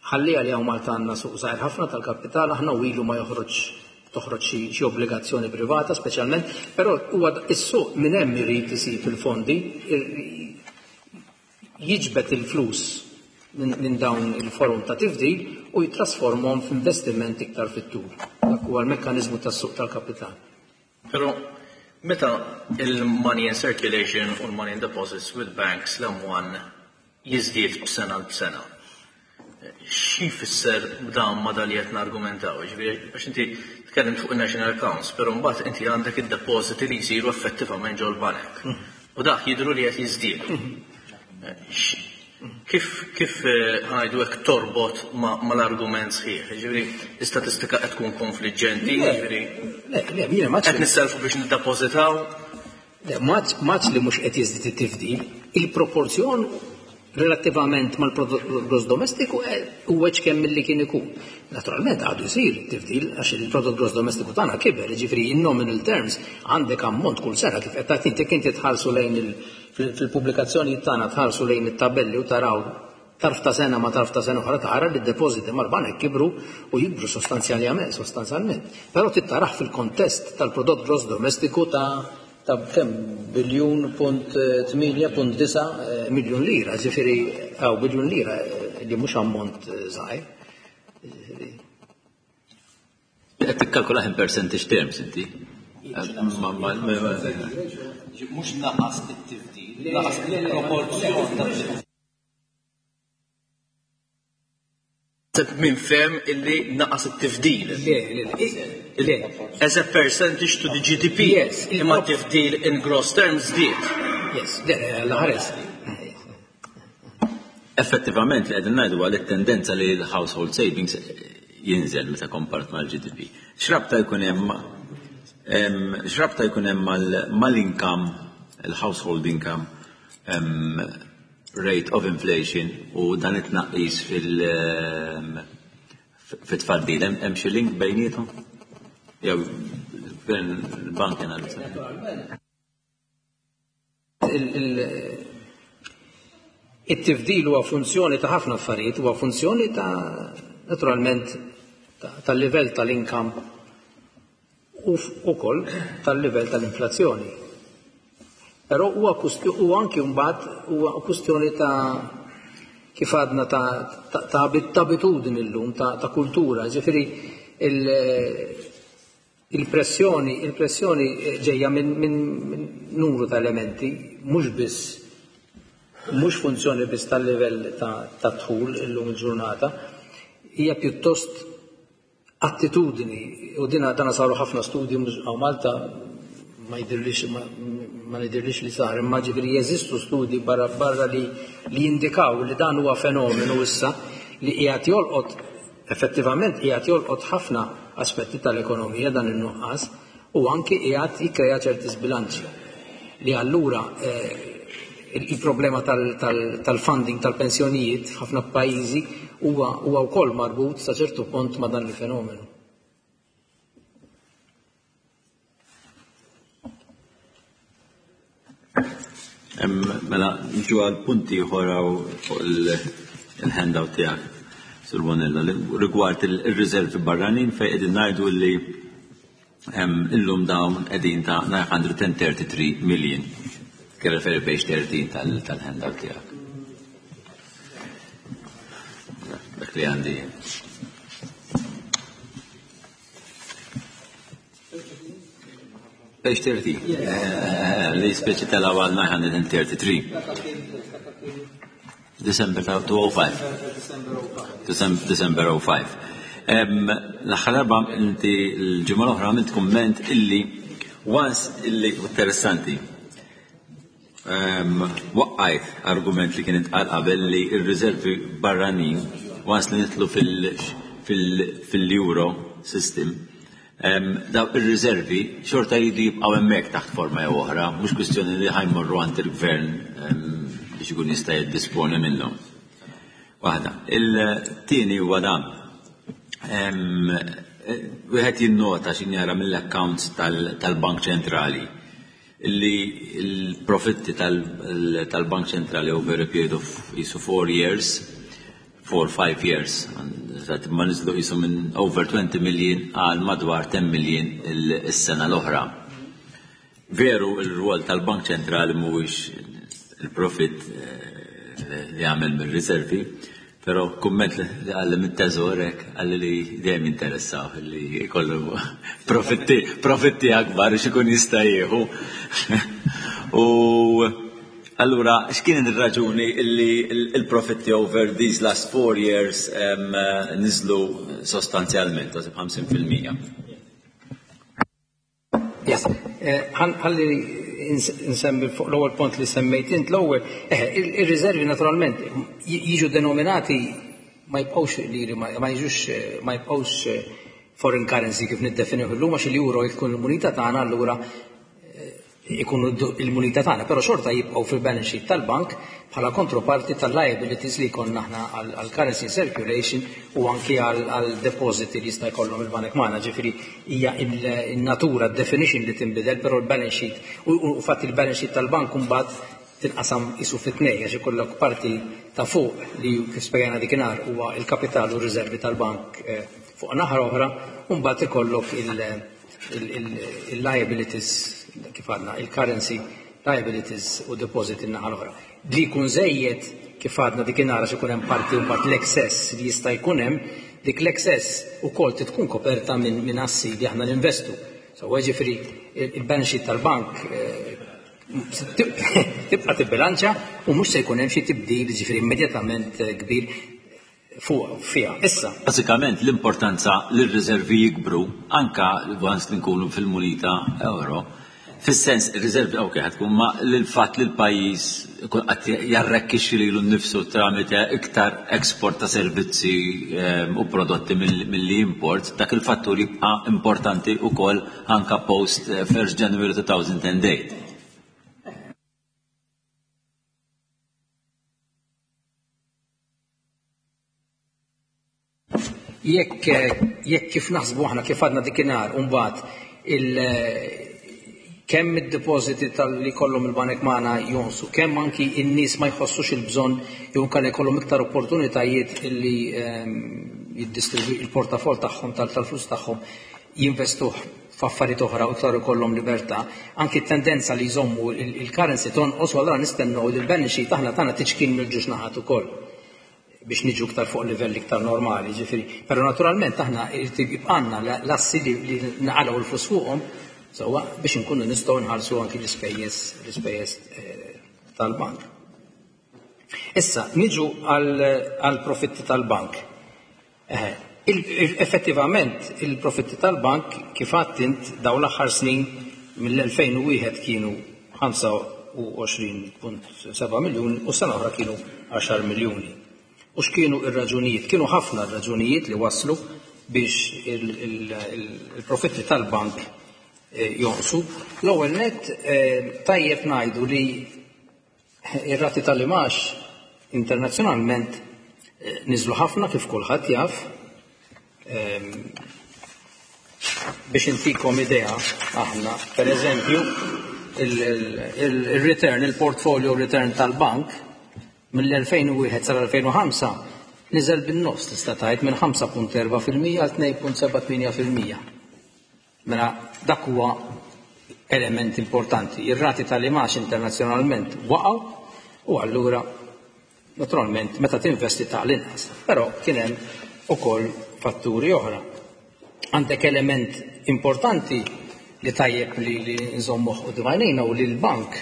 ħallija li hawn Malta għandna suq żgħir ħafna tal-kapital, aħna u ilu ma joħroġ toħroġ xi obbligazzjoni privata speċjalment, però huwa is-suq minn hemm irid isib il-fondi, jiġbed il-flus minn dawn il-forum ta' tifdil u jitrasformhom f'investiment iktar fit-tul. Dak huwa l-mekkaniżmu tas-suq tal-kapital. Però meta il-money in circulation u l-money in deposits with banks l-M one jiżdied b'sena b'sena, xi jfisser b'dan ma dal qed nargumentaw? Ġifieri biex inti tkellimt fuq il-national accounts, però mbagħad inti għandek id-depositi li jsiru effettivament ġol-banek. U dak jidhru li qed jiżdiedu. Kif kif ħajdu hekk torbot mal-argument sħiħ? Ġifieri l-istatistika qed tkun konfliġġenti, ġifieri Le, le, jiena ma qed nisselfu biex niddepożitaw. Le, ma li mhux qed jiżdied it-tifdil, il-proporzjon relattivament mal-prodott gross domestiku huwa kemm milli kien ikun. Naturalment għadu jsir it-tifdil għax il-prodott gross domestiku tagħna kiber, jiġifieri in nominal terms għandek ammont kull sena kif qed tagħti inti inti tħarsu lejn il fil-pubblikazzjoni tagħna tħarsu lejn it-tabelli u taraw tarf ta' sena ma tarf ta' sena oħra tara li d-depożiti mal-banek kibru u jikbru sostanzjalment, sostanzjalment. Però tittaraħ fil-kontest tal-prodott gross domestiku ta' ta' kemm biljun punt tmienja punt disa miljun lira, ġifieri hawn biljun lira li mhux ammont żgħir. Qed tikkalkula in percentage terms inti. Mhux naqas it-tifdil, naqas il-proporzjon ta' Min fem illi naqas it-tifdil. Le, le, le. As a percentage to the G D P. Yes. Imma tifdil in gross terms żdied. Yes, le, l-ħares. Effettivament li qegħdin ngħidu għal it-tendenza li l-household savings jinżel meta kompart mal-G D P. X'rabta jkun hemm x'rabta jkun hemm mal-income, il-household income, rate of inflation u dan it-tnaqqis fil fit-tfaddil, hemm xi link bejniethom? Jew il-bank analizza. It-tifdil huwa funzjoni ta' ħafna affarijiet, huwa funzjoni ta' naturalment tal-livell tal-income u wkoll tal-livell tal-inflazzjoni. Però huwa u anki mbagħad huwa kwistjoni ta' kif għadna ta' ta' abitudni llum, ta' ta' kultura, ġifieri il-pressjoni il-pressjoni ġejja minn min, min numru ta' elementi, mhux biss mhux funzjoni biss tal-livell ta' ta' dħul illum il-ġurnata, hija pjuttost attitudni u dina dana saru ħafna studji hawn Malta ma jidhirlix ma, ma jidhirlix li sar, imma ġifieri jeżistu studji barra barra li li jindikaw li dan huwa fenomenu issa li qiegħed jolqot effettivament qiegħed jolqot ħafna aspetti tal-ekonomija dan in-nuqqas u anki qiegħed jikkrea ċerti sbilanċi li allura eh, il-problema tal-funding tal-pensjonijiet f'ħafna pajjiżi huwa huwa wkoll marbut sa ċertu punt ma' dan il-fenomenu. Mela, nġu għal punti ieħor fuq il-handout tiegħek, Sur Bonello, rigward il-riservi barranin fejn qegħdin ngħidu li illum dawn qegħdin ta' nine hundred thirty-three million. Kien referi page thirteen tal-handout tiegħek. Dak li għandi. Page thirty. Li speċi telgħu għal nine thirty-three. December two oh five. December oh five. L-aħħar darba inti l-ġimgħa l-oħra għamilt kumment illi once illi interessanti. Waqqajt argument li kien intqal qabel li r-riservi barranin once li nitlu fil-euro system, daw ir-riservi xorta jridu jibqgħu hemmhekk taħt forma jew oħra, mhux kwistjoni li ħajmorru għand il-gvern biex ikun jista' jiddisponi minnhom. Waħda. Il-tieni huwa dan. Wieħed jinnota x'in jara mill-accounts tal-Bank Ċentrali li l-profitti tal-Bank Ċentrali over a period of jisu four years, four five years, ma niżlu jisu minn over twenty million għal madwar ten million is-sena l-oħra. Veru il-rwol tal-Bank Ċentrali mhuwiex il-profitt li għamel mir-riservi, però kumment li għalli mit-teżor hekk għalli li dejjem jinteressaw li jkollu profitti profitti akbar biex ikun jista' jieħu. U allura x'kien ir-raġuni li l-profitti over these last four years niżlu sostanzjalment, kważi b'ħamsin fil-mija? Yes, ħalli nsemmi fuq l-ewwel punt li semmejt int l-ewwel, ir-riservi naturalment jiġu denominati ma jibqgħux liri, ma jiġux ma jibqgħux foreign currency kif niddefinuh illum għax il-euro jkun il-munita tagħna, allura ikunu il-munita tagħna, però xorta jibqgħu fil-balance sheet tal-bank bħala kontroparti tal-liabilities li jkollna aħna għal currency circulation u anki għal depositi li jista' jkollhom il-banek magħna. Ġifieri hija in-natura definition li tinbidel, però l-balance sheet u fatt il-balance sheet tal-bank imbagħad tinqasam isu fit-tnejn għax ikollok parti ta' fuq li kif spjegajna dikinhar huwa il-kapital u r-riservi tal-bank fuq naħa oħra, u mbagħad ikollok il-liabilities kif għadna, il-currency liabilities u deposit in-naħa l-oħra. Li jkun żejjed kif għadna dikinhar għax ikun hemm parti u mbagħad l-excess li jista' jkun hemm, dik l-excess ukoll tkun koperta minn assi li aħna ninvestu. So ġifieri il-balance sheet tal-bank tibqa' tibbilanċa u mhux se jkun hemm xi tibdil ġifieri immedjatament kbir fuq fiha. Issa. Bażikament l-importanza li r-riservi jikbru anka once li nkunu fil-munita euro, fis-sens ir-riservi ok ħad tkun ma l-fatt li l-pajjiż ikun qed jarrekkixxi lilu nnifsu tramite iktar export ta' servizzi u prodotti milli import, dak il-fattur jibqa' importanti wkoll anka post first January two thousand and eight. Jekk jekk kif naħsbu aħna kif għadna dikinhar u mbagħad il kemm id-depositi tal-li kollhom il-banek magħna jonsu, kemm anki n-nies ma jħossux il-bżonn jew inkella jkollhom iktar opportunitajiet illi jiddistribwi il-portafol tagħhom tal-flus tagħhom jinvestuh f'affarijiet oħra u iktar ikollhom libertà, anki t-tendenza li jżommu il-currency tonqos u allura nistennew li l-balance sheet aħna tagħna tiċkien mill-ġuġ naħat ukoll biex niġu iktar fuq livell iktar normali, ġifieri. Però naturalment aħna jibqanna l-assi li naqalgħu l-flus fuqhom sewwa biex inkunu nistgħu nħallsu anki l-ispejjeż l-ispejjeż tal-bank. Issa niġu għall profitti tal-bank. Effettivament il-profitti tal-bank kif għadt int dawn l-aħħar snin mill-elfejn u wieħed kienu ħamsa u għoxrin punt seba' miljun u sena oħra kienu għaxar miljuni. U x'kienu ir-raġunijiet? Kienu ħafna raġunijiet li waslu biex il-profitti tal-bank jonqsu. L-ewwel nett tajjeb ngħidu li ir-rati tal-imax internazzjonalment niżlu ħafna kif kulħadd jaf. Biex intikom idea aħna, per eżempju, il-return, il-portfolio return tal-bank mill-elfejn u wieħed sal-elfejn u ħamsa niżel bin-nofs tista' tgħid minn ħamsa punt erba' fil-mija għal tnejn punt seba' tmienja fil-mija. Mela dak huwa element importanti. Ir-rati tal-imgħax internazzjonalment waqgħu u allura naturalment meta tinvesti ta' l-inqas. Però kien hemm ukoll fatturi oħra. Għandek element importanti li tajjeb li, li nżommuh u għajnejna u li l-bank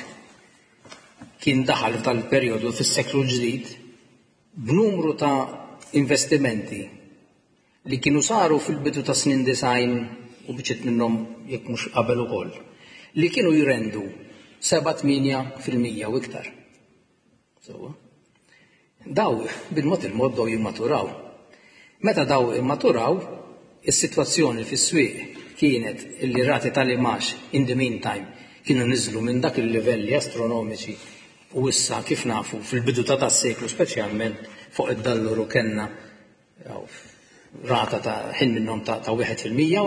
kien daħal f'dal-perjodu fis-seklu ġdid b'numru ta' investimenti li kienu saru fil-bidu ta' snin disgħin u biċċiet minnhom jekk mhux qabel ukoll, li kienu jrendu seba' tmienja fil-mija u iktar. So, daw bil-mod il-mod daw jimmaturaw. Meta daw immaturaw, is-sitwazzjoni fis-swieq kienet illi rati tal-imgħax in the meantime kienu niżlu minn dak il-livelli astronomiċi u issa, kif nafu, fil-bidu ta' tas-seklu, speċjalment fuq id-dollaru, kellna rata ta' ħin minnhom ta' ta' wieħed fil-mija,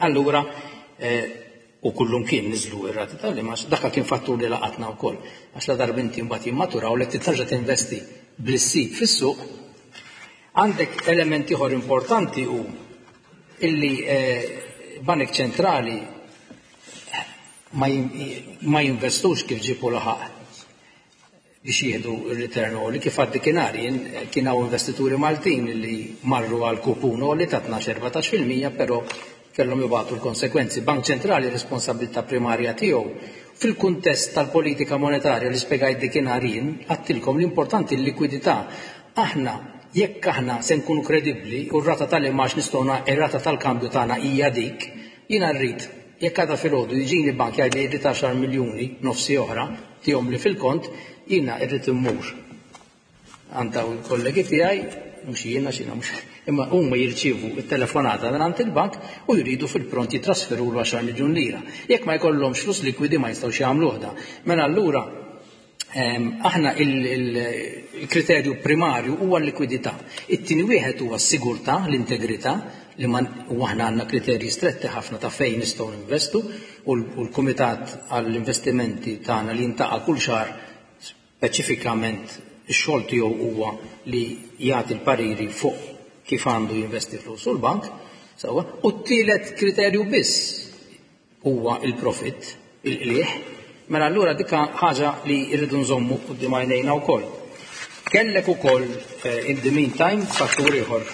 allura eh, u kullum kien niżlu ir-rati tal-imgħax, dak kien fattur li laqatna wkoll. Għax la darba inti mbagħad jimmaturaw li terġa' tinvesti bl-issib fis-suq. Għandek elementi ieħor importanti u illi eh, banek ċentrali ma jinvestux kif ġibu laħaq biex jieħdu il-return li kif għaddi kienari kien hawn investituri Maltin li marru għal kupun li ta' tnax-erbatax fil-mija, però kellhom jibgħatu l-konsekwenzi. Bank Ċentrali, responsabilità primarja tiegħu fil-kuntest tal-politika monetarja li spjegajt dikinhar jien, għedtilkom l-importanti l-likwidità. Aħna jekk aħna se nkunu kredibbli u r-rata tal-imgħax nistgħu, ir-rata tal-kambju tagħna hija dik, jiena rrid jekk għada filgħodu jiġini bank jgħid li jrid għaxar miljuni nofsi oħra tihom li fil-kont, jiena irrid immur għand daw il-kollegi tiegħi, mhux jiena xina mhux, imma huma jirċievu it-telefonata minn għand il-bank u jridu fil-pront jitrasferu l għaxar miljun lira. Jekk ma jkollhomx flus likwidi, ma jistgħux jagħmluh da. Mela allura aħna il-kriterju primarju huwa l-likwidità. It-tieni wieħed huwa s-sigurtà, l-integrità, li man u aħna għandna kriterji stretti ħafna ta' fejn nistgħu ninvestu u l-Kumitat għall-Investimenti tagħna li jintaqa' kull xahar, speċifikament ix-xogħol tiegħu huwa li jagħti l-pariri fuq kif għandu jinvesti flus u l-bank. Sewwa, u t-tielet kriterju biss huwa il-profit, il-qliħ. Mela allura dika ħaġa li rridu nżommu quddiem għajnejna wkoll. Kellek ukoll eh, in the meantime fattur ieħor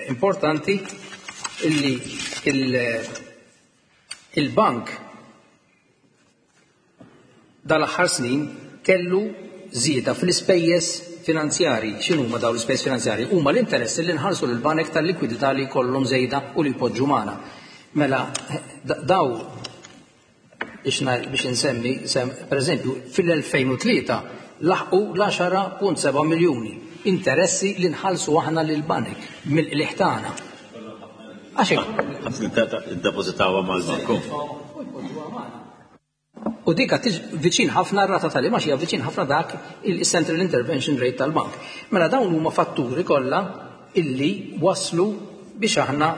importanti illi il-bank dal-aħħar snin kellu żieda fl-ispejjeż finanzjari. X'inhu ma dawn l-ispejjeż finanzjari? Huma l-interess li nħallsu lill-banek tal-likwidità li jkollhom żejda u li jpoġġu magħna. Mela daw biex insemmi, per eżempju, fil-elfejn u tlieta laħqu l-għaxra punt seba' miljuni interessi li nħallsu aħna lill-banek mill-qliħ tagħna. Għax Depożitawha mal-banku. U dika viċin ħafna rata tal-imgħax hija viċin ħafna dak il-Central Intervention Rate tal-bank. Mela dawn huma fatturi kollha illi waslu biex aħna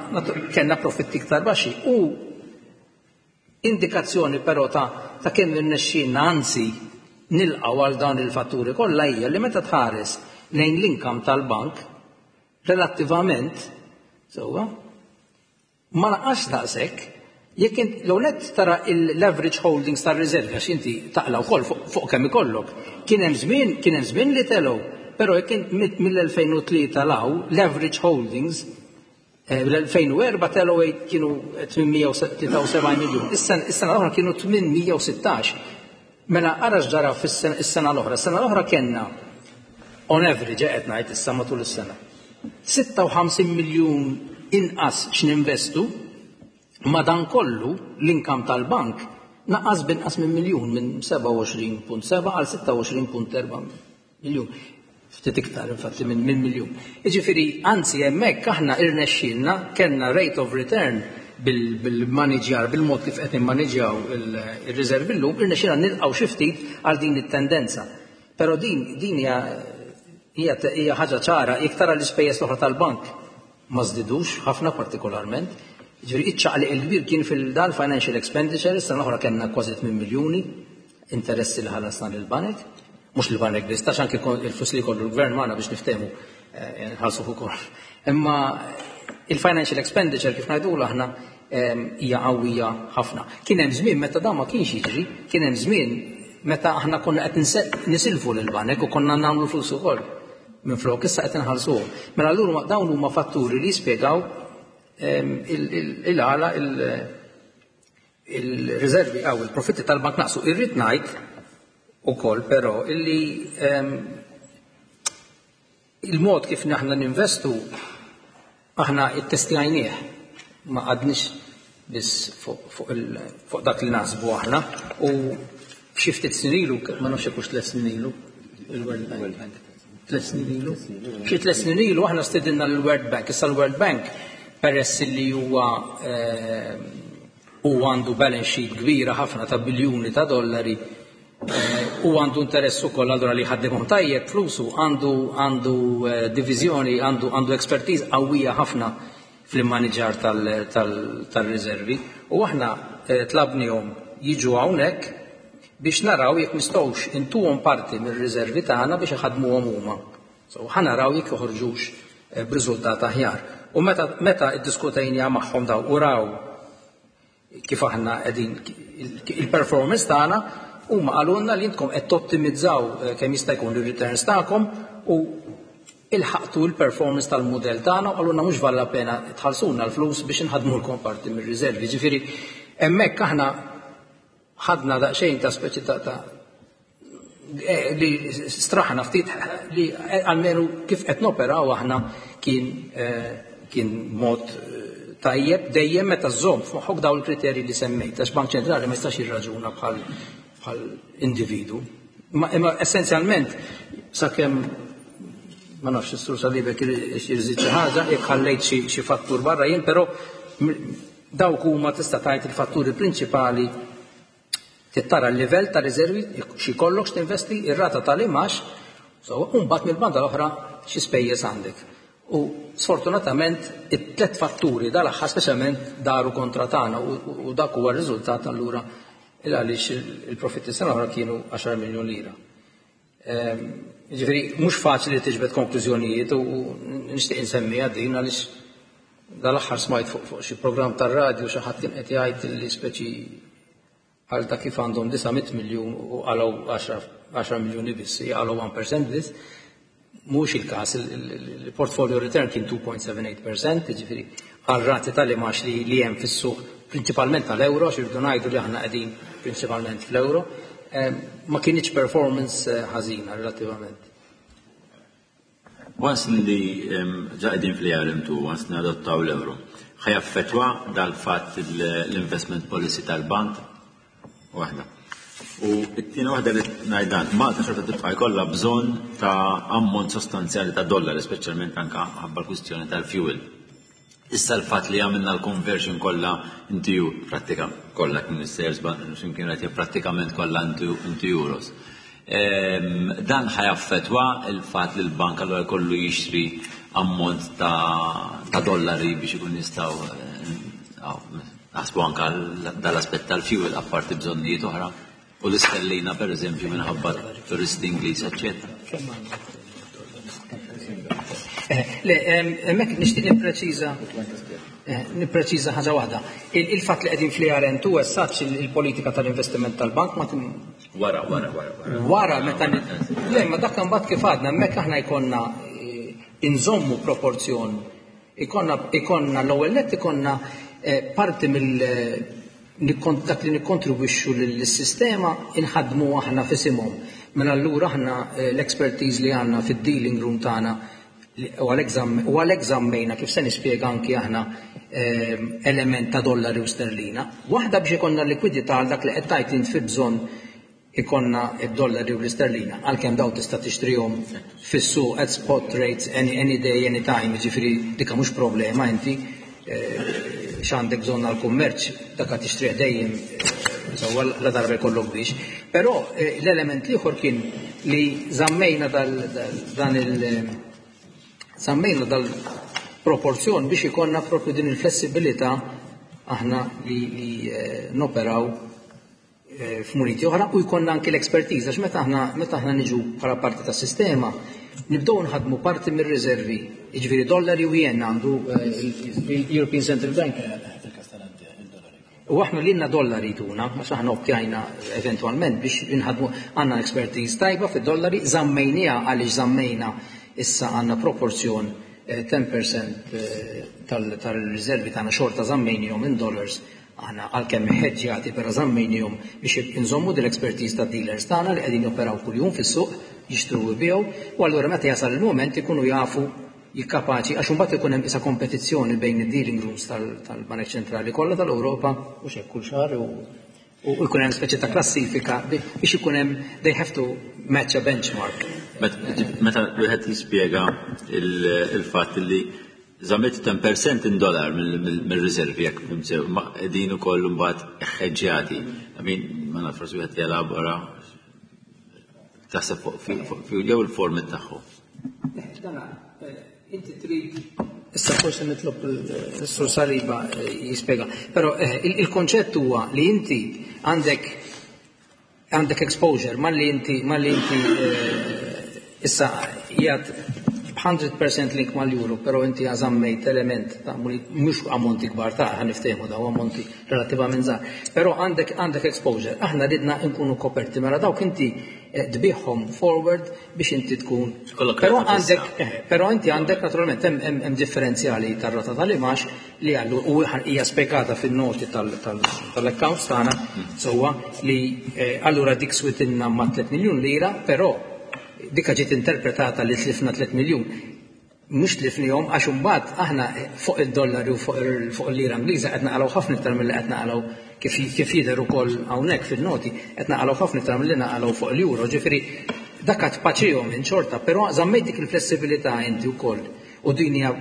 kellna profitti iktar baxxi. U indikazzjoni però ta' ta' kemm irnexxielna anzi nilqgħu għal dawn il-fatturi kollha hija li meta tħares lejn l-income tal-bank relattivament, sewwa, ma naqax daqshekk. Jekk l net tara l-average holdings tar-riservi, għax inti taqla wkoll fuq kemm ikollok. Kien hemm żmien, kien hemm żmien li telgħu, però jekk mill-elfejn u tlieta law l-average holdings eh, l-elfejn u erbgħa telgħu, kienu tmien mija u tlieta u sebgħin miljun. Is-sena l-oħra kienu tmien mija u sittax. Mela ara x'ġara fis-sena l-oħra. Is-sena l-oħra kellna on average, qed ngħid issa matul is-sena, sitta u ħamsin miljun inqas x'ninvestu. Madan kollu l-income tal-bank naqas binqas minn miljun, minn sebgħa u għoxrin punt sebgħa għal sitta u għoxrin punt erbgħa miljun. Ftit iktar infatti minn min miljun. Jiġifieri anzi hemmhekk aħna irnexxielna kellna rate of return bil-maniġjar, bil-mod kif qed nimmaniġjaw il-riservi llum, irnexxielna nilqgħu xi ftit għal din it-tendenza. Però din din hija hija ħaġa ċara, jekk tara l-ispejjeż l-oħra tal-bank ma żdidux ħafna partikolarment. Ġifieri iċ-ċaqliq il-kbir kien fil-dal financial expenditure. Is-sena l-oħra kellna kważi tmien miljuni interessi li ħallasna lill-banek, mhux lill-banek biss, tax anke il-flus li jkollu l-gvern magħna biex niftehmu eh, nħallsu ukoll. Imma il-financial expenditure, kif ngħidulu aħna, hija qawwija ħafna. Kien hemm żmien meta dan ma kienx jiġri, kien hemm żmien meta aħna konna qed nisilfu lill-banek u konna nagħmlu flus ukoll minn flok, issa qed inħallsuhom. Mela allura dawn huma fatturi li jispjegaw il-għala il-riservi għaw il-profitti tal-bank naqsu. Irrid ngħid ukoll però illi il-mod kif aħna ninvestu aħna ittestjajnieh, ma għadniex biss fuq dak li naħsbu aħna, u xi ftit snin ilu, ma nafx hekk hux tliet snin ilu, il-World Bank. Tliet snin ilu. Xi tliet snin ilu aħna stedinna l-World Bank. Issa l-World Bank, peress li huwa u għandu balance sheet kbira ħafna ta' biljuni ta' dollari, u għandu interess ukoll allura li ħaddimhom tajjeb flusu, għandu għandu diviżjoni, għandu għandu expertise qawwija ħafna fl-immaniġar tal-riservi, u aħna tlabnihom jiġu hawnhekk biex naraw jekk nistgħux intuhom parti mir-riservi tagħna biex iħaddmuhom huma. So ħa naraw jekk joħorġux b'riżultat aħjar. U meta meta iddiskutejna magħhom daw u raw kif aħna qegħdin il-performance tagħna, huma qalulna li intkom qed tottimizzaw kemm jista' jkun ir-returns tagħkom u ilħaqtu l-performance tal-mudell tagħna, u qalulna mhux valla pena tħallsuna l-flus biex inħaddmulkom parti mir-riservi. Ġifieri hemmhekk aħna ħadna daqsxejn ta' speċi ta' ta' li straħna ftit li almenu kif qed noperaw aħna kien kien mod tajjeb, dejjem meta żżomm f'moħħok dawn il-kriterji li semmejt, għax Bank Ċentrali ma jistax jirraġuna bħal bħal individu. Imma essenzjalment sakemm ma nafx is-sur Salibek jirżid xi ħaġa, jekk ħallejt xi fattur barra jien, però dawk huma tista' tgħid il-fatturi prinċipali. Tittara l-livell ta' riservi, xi kollok x'tinvesti, ir-rata tal-imax, so u mbagħad mill-banda l-oħra xi spejjeż għandek. U sfortunatament it-tlet fatturi dal-aħħar speċjalment daru kontra tagħna, u dak huwa r-riżultat allura il għaliex il-profitti sena oħra kienu għaxar miljun lira. Ġifieri mhux faċli li tiġbed konklużjonijiet, u nixtieq insemmiha din għaliex dal-aħħar smajt fuq xi programm tar-radju xi ħadd kien qed jgħid li speċi għal ta' kif għandhom disa' mitt miljun u qalgħu għaxra miljuni biss, qalgħu one percent biss. Mhux il-każ, il-portfolio return kien two point seven eight percent, jiġifieri għal rati tal-imax li hemm fis-suq prinċipalment tal-euro, għax irridu ngħidu li aħna qegħdin prinċipalment fl-euro, ma kienx performance ħażina relattivament. Once li ġa qegħdin fl-E R M two, once nadottaw l-euro, ħajaffettwa dal-fatt l-investment policy tal-bank waħda. U t-tieni waħda li ngħidan, Malta xorta tibqa' jkollha bżonn ta' ammont sostanzjali ta' dollari, speċjalment anke ħabba l-kwistjoni tal-fuel. Issa l-fatt li għamilna l-conversion kollha into prattika kollha kien is-sales bank x'imkien qed prattikament kollha into, into euros. Ehm, dan ħajaffettwa il-fatt li l-bank allura jkollu jixtri ammont ta', ta' dollari biex ikun jistgħu, eh, naħsbu anke dal-aspett tal-fuel apparti bżonnijiet oħra. U l-istellina per eżempju minħabba turisti Ingliż, eċċetera. Eh, le, hemmhekk nixtieq nippreċiża, eh, nippreċiża ħaġa waħda. Il-, il-fatt li qegħdin fl-E R M two as such il-politika tal-investiment tal-bank ma tin- Wara, wara, wara, wara. Wara meta ni-, le, ma dak imbagħad kif għadna, hemmhekk aħna jkollna, eh, inżommu proporzjon. Ikonna, ikonna l-ewwel nett ikonna, eh, parti mill, eh, nikkon-, dak li nikkontribwixxu lill-sistema inħadmu aħna f'isimhom. Mela allura aħna, eh, l-expertise li għandna fid-dealing room tagħna u għalhekk żammejna kif se nispjega anki aħna, eh, element ta' dollari u sterlina. Waħda biex ikollna likwidità għal dak li qed tgħid int fi bżonn ikonna id-dollari u l-isterlina, għalkemm daw tista' tixtrihom fis-suq at spot rates any, any day, any time, jiġifieri dika mhux problema inti, eh, x'għandek bżonn għall-kummerċ, dak qed tixtrih dejjem, eh, sewwa la darba jkollok biex. Però, eh, l-element l-ieħor kien li żammejna dal, dal, dan il, żammejna dal-proporzjon biex ikollna propju din il-flessibilità aħna li, li, eh, noperaw, eh, f'muniti oħra u jkollna anki l-expertise, għax meta aħna, meta aħna niġu bħala parti tas-sistema nibdew nħadmu parti mir-riservi, jiġifieri dollari u jen għandu, eh, il-European Central Bank. U aħna lilna dollari tuna, għax aħna optjajna eventwalment biex inħadmu, għandna expertise tajba fid-dollari, żammejniha għaliex żammejna issa għandna proporzjon ten percent tal-riservi tagħna xorta żammejnihom in dollars aħna, għalkemm ħeġġjati, però żammejnihom biex inżommu dil-expertise ta' dealers tagħna li qegħdin joperaw kuljum fis-suq, jixtru u jbigħu, u allura meta jasal il-moment ikunu jafu jikkapaċi, għax imbagħad ikun hemm isa kompetizzjoni bejn id-dealing rooms tal-Banek Ċentrali kollha tal-Ewropa u xek kull xahar u u jkun hemm speċi ta' klassifika biex ikun hemm, they have to match a benchmark. Meta wieħed jispjega il-fatt li żammejt ten percent in dollar mill-riservi, jekk sew, ma qegħdin ukoll imbagħad ħeġġjati. I mean, ma naf, forsi wieħed jelabora taħseb fuq jew il-format tagħhom. Dana, inti trid. Issa forsi nitlob il-Sur Saliba jispjega. Però il-konċett huwa li inti għandek għandek exposure malli inti malli inti issa jgħat mija fil-mija link mal-euro, però inti għażammejt element ta' mhux ammonti kbar ta' ħa niftehmu, daw ammonti relattivament żgħar. Però għandek għandek exposure. Aħna ridna nkunu koperti, mela dawk inti tbigħhom forward biex inti tkun. Però għandek però inti għandek naturalment hemm differenzjali tar-rata tal-imgħax li għallu u hija spjegata fin-noti tal-accounts tagħna sewwa li allura dik switilna ma' tliet miljun lira, però dika ġiet interpretata li tlifna tliet miljun. Mhux tlifnihom, għax imbagħad aħna fuq id-dollari u fuq il-lira Ingliża qed naqalgħu ħafna iktar milli qed naqalgħu, kif kif jidher ukoll hawnhekk fil-noti, qed naqalgħu ħafna iktar milli naqalgħu fuq l-euro. Ġifieri dak tpaċihom in xorta, però żammejt dik il-flessibilità inti wkoll. U din hija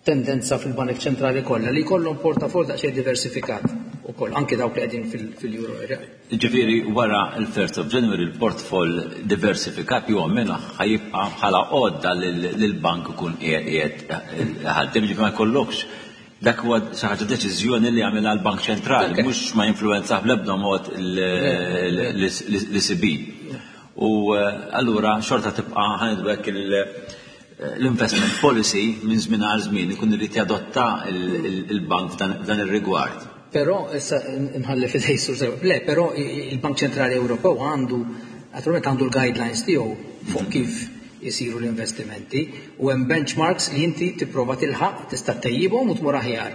tendenza fil-Banek Ċentrali kollha li jkollhom portafol daqsxejn diversifikat ukoll, anke dawk li qegħdin fil-euro area. Ġifieri wara il-first of January il-portfol diversifikat ju minna ħa jibqa' bħala għodda lill-bank ikun qiegħed ħaddem, ġifieri ma jkollokx dak huwa xi ħaġa deċiżjoni li għamilha l-Bank Ċentrali, mhux ma jinfluwenzaħ bl-ebda mod l-E C B. U allura xorta tibqa' ħa ngħidu hekk l-investment policy minn żmien għal żmien ikun irid jadotta il-bank f'dan ir-rigward. Però issa nħalli fidej Sur. Le, però il-Bank Ċentrali Ewropew għandu naturalment għandu l-guidelines tiegħu fuq kif jisiru l-investimenti u hemm benchmarks li inti tipprova tilħaq, tista' tejjibhom u tmur aħjar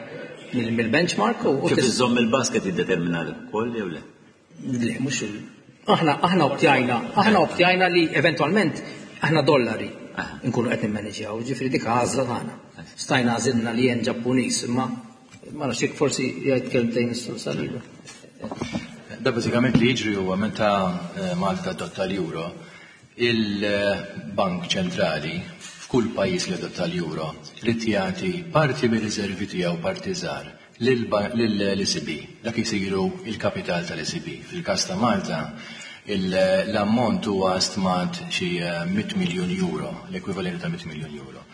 mill-benchmark u Kif iżomm il-basket jiddetermina ukoll jew le? Le, mhux aħna aħna optjajna, aħna optjajna li eventwalment aħna dollari nkunu qed nimmaneġjaw, ġifieri dik għażla tagħna. Stajna għażilna li jen Ġappuniż, imma ma nafx jekk forsi jgħid kelmtejn is-Sur Saliba. Da bażikament li jiġri huwa meta Malta adotta l-euro, il-Bank Ċentrali f'kull pajjiż li adotta l-euro trid jagħti parti mir-riservi tiegħu, parti żgħar, lill-E C B. Dak isiru il-kapital tal-E C B. Fil-każ ta' Malta l-ammont huwa stmat xi mitt miljun euro, l-ekwivalenti ta' mitt miljun euro.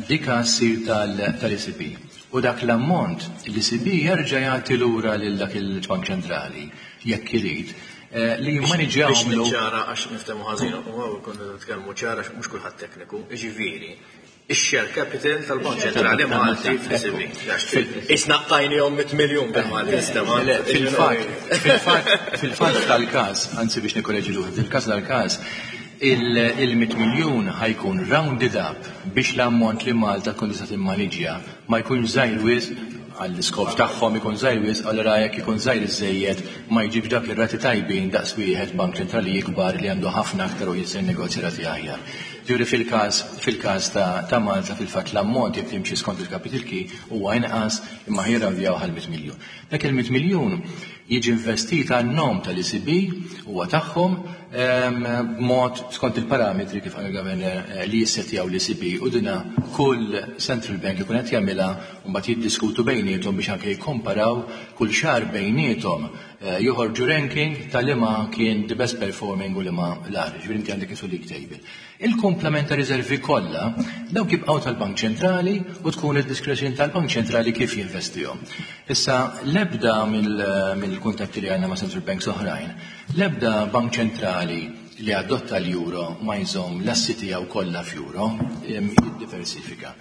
Dika ssir tal-E C B. U dak l-ammont l-E C B jerġa' jagħti lura lil dak il-Bank Ċentrali jekk irid li jimmaniġġjaw. Biex niċċara, għax niftehmu ħażin, u għaw konna nitkellmu ċara, mhux kulħadd tekniku, ġifieri ix-share capital tal-Bank Ċentrali Malti fl-E C B. Isna qtajnihom mitt miljun bil-Malti nistema'. Fil-fatt, fil-fatt, fil-fatt tal-każ, anzi biex nikkoreġi ruħi, fil-każ tal-każ il-mitt miljun ħa jkun rounded up biex l-ammont li Malta tkun tista' timmaniġġja ma jkunx żgħir wisq għall-iskop tagħhom, ikun żgħir wisq, allura jekk ikun żgħir iżejjed ma jġibx dak ir-rati tajbin daqs wieħed bank ċentrali ikbar li għandu ħafna aktar u jista' jinnegozja rati aħjar. Ġifieri fil-każ fil-każ ta', ta Malta fil-fatt l-ammont jekk timxi skont il-capital key huwa inqas, imma jirrawdjaw għal mitt miljun. Dak il-mitt miljun jiġi investit għan-nom tal-E C B, huwa tagħhom, b'mod skont il-parametri kif għal governor li jissetjaw l-E C B, u dina kull central bank ikun qed jagħmilha u mbagħad jiddiskutu bejniethom biex anke jikkomparaw kull xahar bejniethom, joħorġu ranking ta' liema kien the best performing u liema l-agħar. Ġifieri inti għandek isu league table. Il-komplement ta' riservi kollha dawk jibqgħu tal-Bank Ċentrali u tkun id-diskrezzjoni tal-Bank Ċentrali kif jinvestihom. Issa l-ebda mill-kuntatti li għandna ma' central banks oħrajn, l-ebda bank ċentrali li adotta l-euro ma jżomm l-assi tiegħu kollha f'euro, jiddiversifika.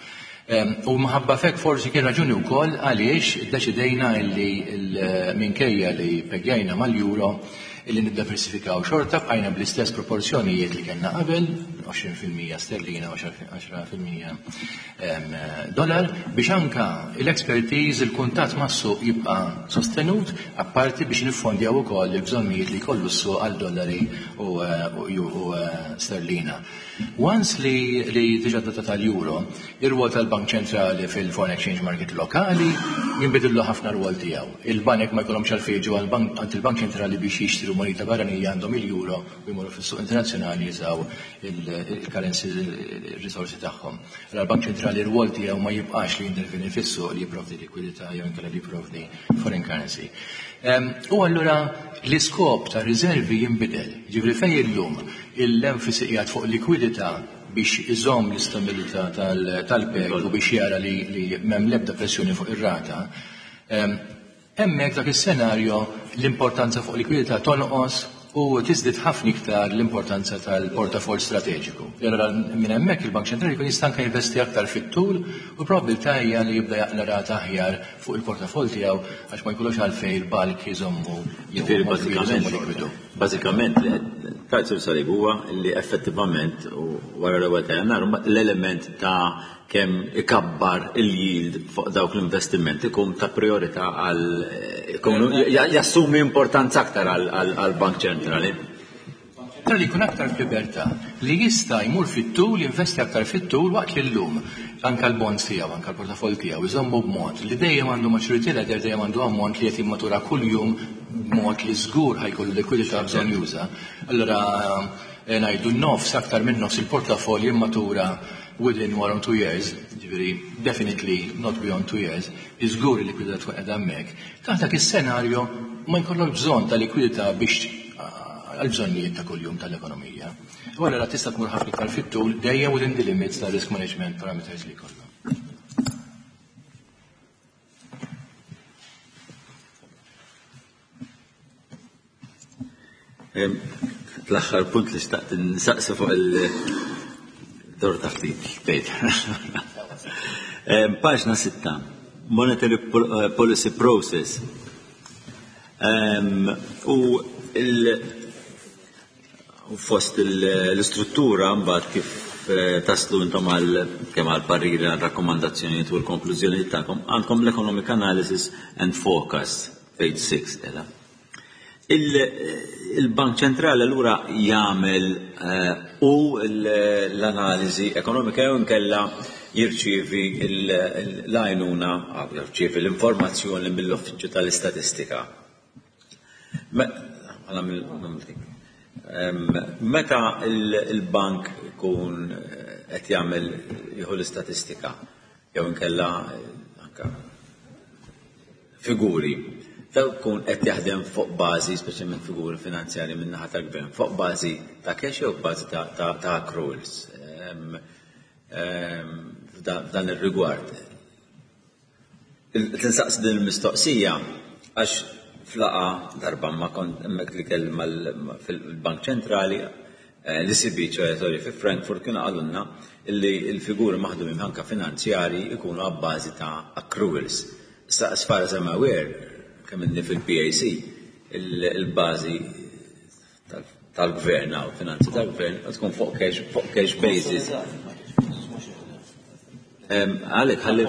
U minħabba f'hekk forsi kien raġuni wkoll għaliex iddeċidejna li minkejja li pegjajna mal-euro illi niddiversifikaw xorta, bqajna bl-istess proporzjonijiet li kellna qabel, għoxrin fil-mija sterlina u għaxra fil-mija dollar, biex anka l-expertise, il-kuntatt mas-suq jibqa' sostenut, apparti biex niffondjaw ukoll il-bżonnijiet li jkollu s-suq għal dollari u, u sterlina. Once li, li diġà tal-euro, ir-rwol tal-Bank Ċentrali fil-foreign exchange market lokali jinbidillu ħafna rwol tiegħu. Il-banek ma jkollhomx għalfejn jiġu għand il-Bank Ċentrali biex jixtru moneta barranija, għandhom il-euro u jmorru fis-suq internazzjonali jużaw il-currency, il-risorsi tagħhom. Allora l-Bank Ċentrali r-rwol tiegħu ma jibqax li jinterveni fis-suq li jipprovdi likwidità jew inkella li jipprovdi foreign currency. U allura l-iskop ta' riservi jinbidel. Ġifieri fejn illum l-enfasi qiegħed fuq likwidità biex iżomm l-istabilità tal-peg u biex jara li, li m'hemm l-ebda pressjoni fuq ir-rata, hemmhekk dak is-senarju l-importanza fuq likwidità tonqos u tiżdied ħafna iktar l-importanza tal-portafol strateġiku. Allora minn hemmhekk il-Bank Ċentrali jkun jista' anke jinvesti aktar fit-tul u probabilità hija li jibda jaqla rata aħjar fuq il-portafol tiegħu għax ma jkollux għalfejn il-bulk jżommu. Ġifieri bażikament bażikament Kajsur Salib huwa li effettivament u wara l-ewwel ta' Jannar l-element ta' kemm ikabbar il-yield fuq dawk l-investimenti ikun ta' priorità għal jassumi importanza aktar għal-Bank Ċentrali. Ċentrali jkun aktar f'libertà li jista' jmur fit-tul, jinvesti aktar fit-tul, waqt li llum anka l-bonds tiegħu, anka l-portafol tiegħu iżommu b'mod li dejjem għandu maturity ladder, dejjem għandu ammont li qed jimmatura kuljum b'mod li żgur ħa jkollu likwidità bżonn juża. Allora eh, ngħidu nofs, aktar minn nofs il-portafol jimmatura within one or two years, ġifieri definitely not beyond two years, iżgur il-likwidità tkun qiegħda hemmhekk. Taħt dak is-senarju ma jkollok bżonn ta' likwidità biex għal-bżonnijiet ta' kuljum tal-ekonomija. U allura tista' tmur ħafna iktar fit-tul dejjem within the limits ta' risk management parameters li jkollna. L-aħħar punt li xtaqt nsaqsi fuq il-dor ta' ftit, bejt. Paġna sitta, Monetary eh, Policy Process. U il- fost l-istruttura mbagħad kif eh, taslu intom għal kemm għal pariri, għal rakkomandazzjonijiet u l-konklużjonijiet tagħkom, għandkom l-economic analysis and forecast, page six qiegħda. Il-Bank Ċentrali allura jagħmel eh, u l-analiżi ekonomika jew inkella jirċievi l-għajnuna, jirċievi l-informazzjoni mill-Uffiċċju tal-Istatistika? Meta il-bank ikun qed jagħmel jieħu l-istatistika jew inkella anka figuri, daw kun qed jaħdem fuq bażi, speċjalment figuri finanzjari minn naħa tal-gvern, fuq bażi ta' cash jew bażi ta', ta, ta accruals f'dan ir-rigward? Tinsaqs din il-mistoqsija għax f'laqgħa darba ma kont hemmhekk li kell fil-Bank Ċentrali, eh, l-E C B, ċoè, sorry, fi Frankfurt, kienu qalulna illi l-figuri maħdumin anka finanzjari ikunu għabbażi ta' accruals. Issa, as far as I'm aware, kemm inni fil-P A C, il-bażi tal-gvern u finanzi tal-gvern tkun fuq cash, fuq cash basis. Għalek, ħalli.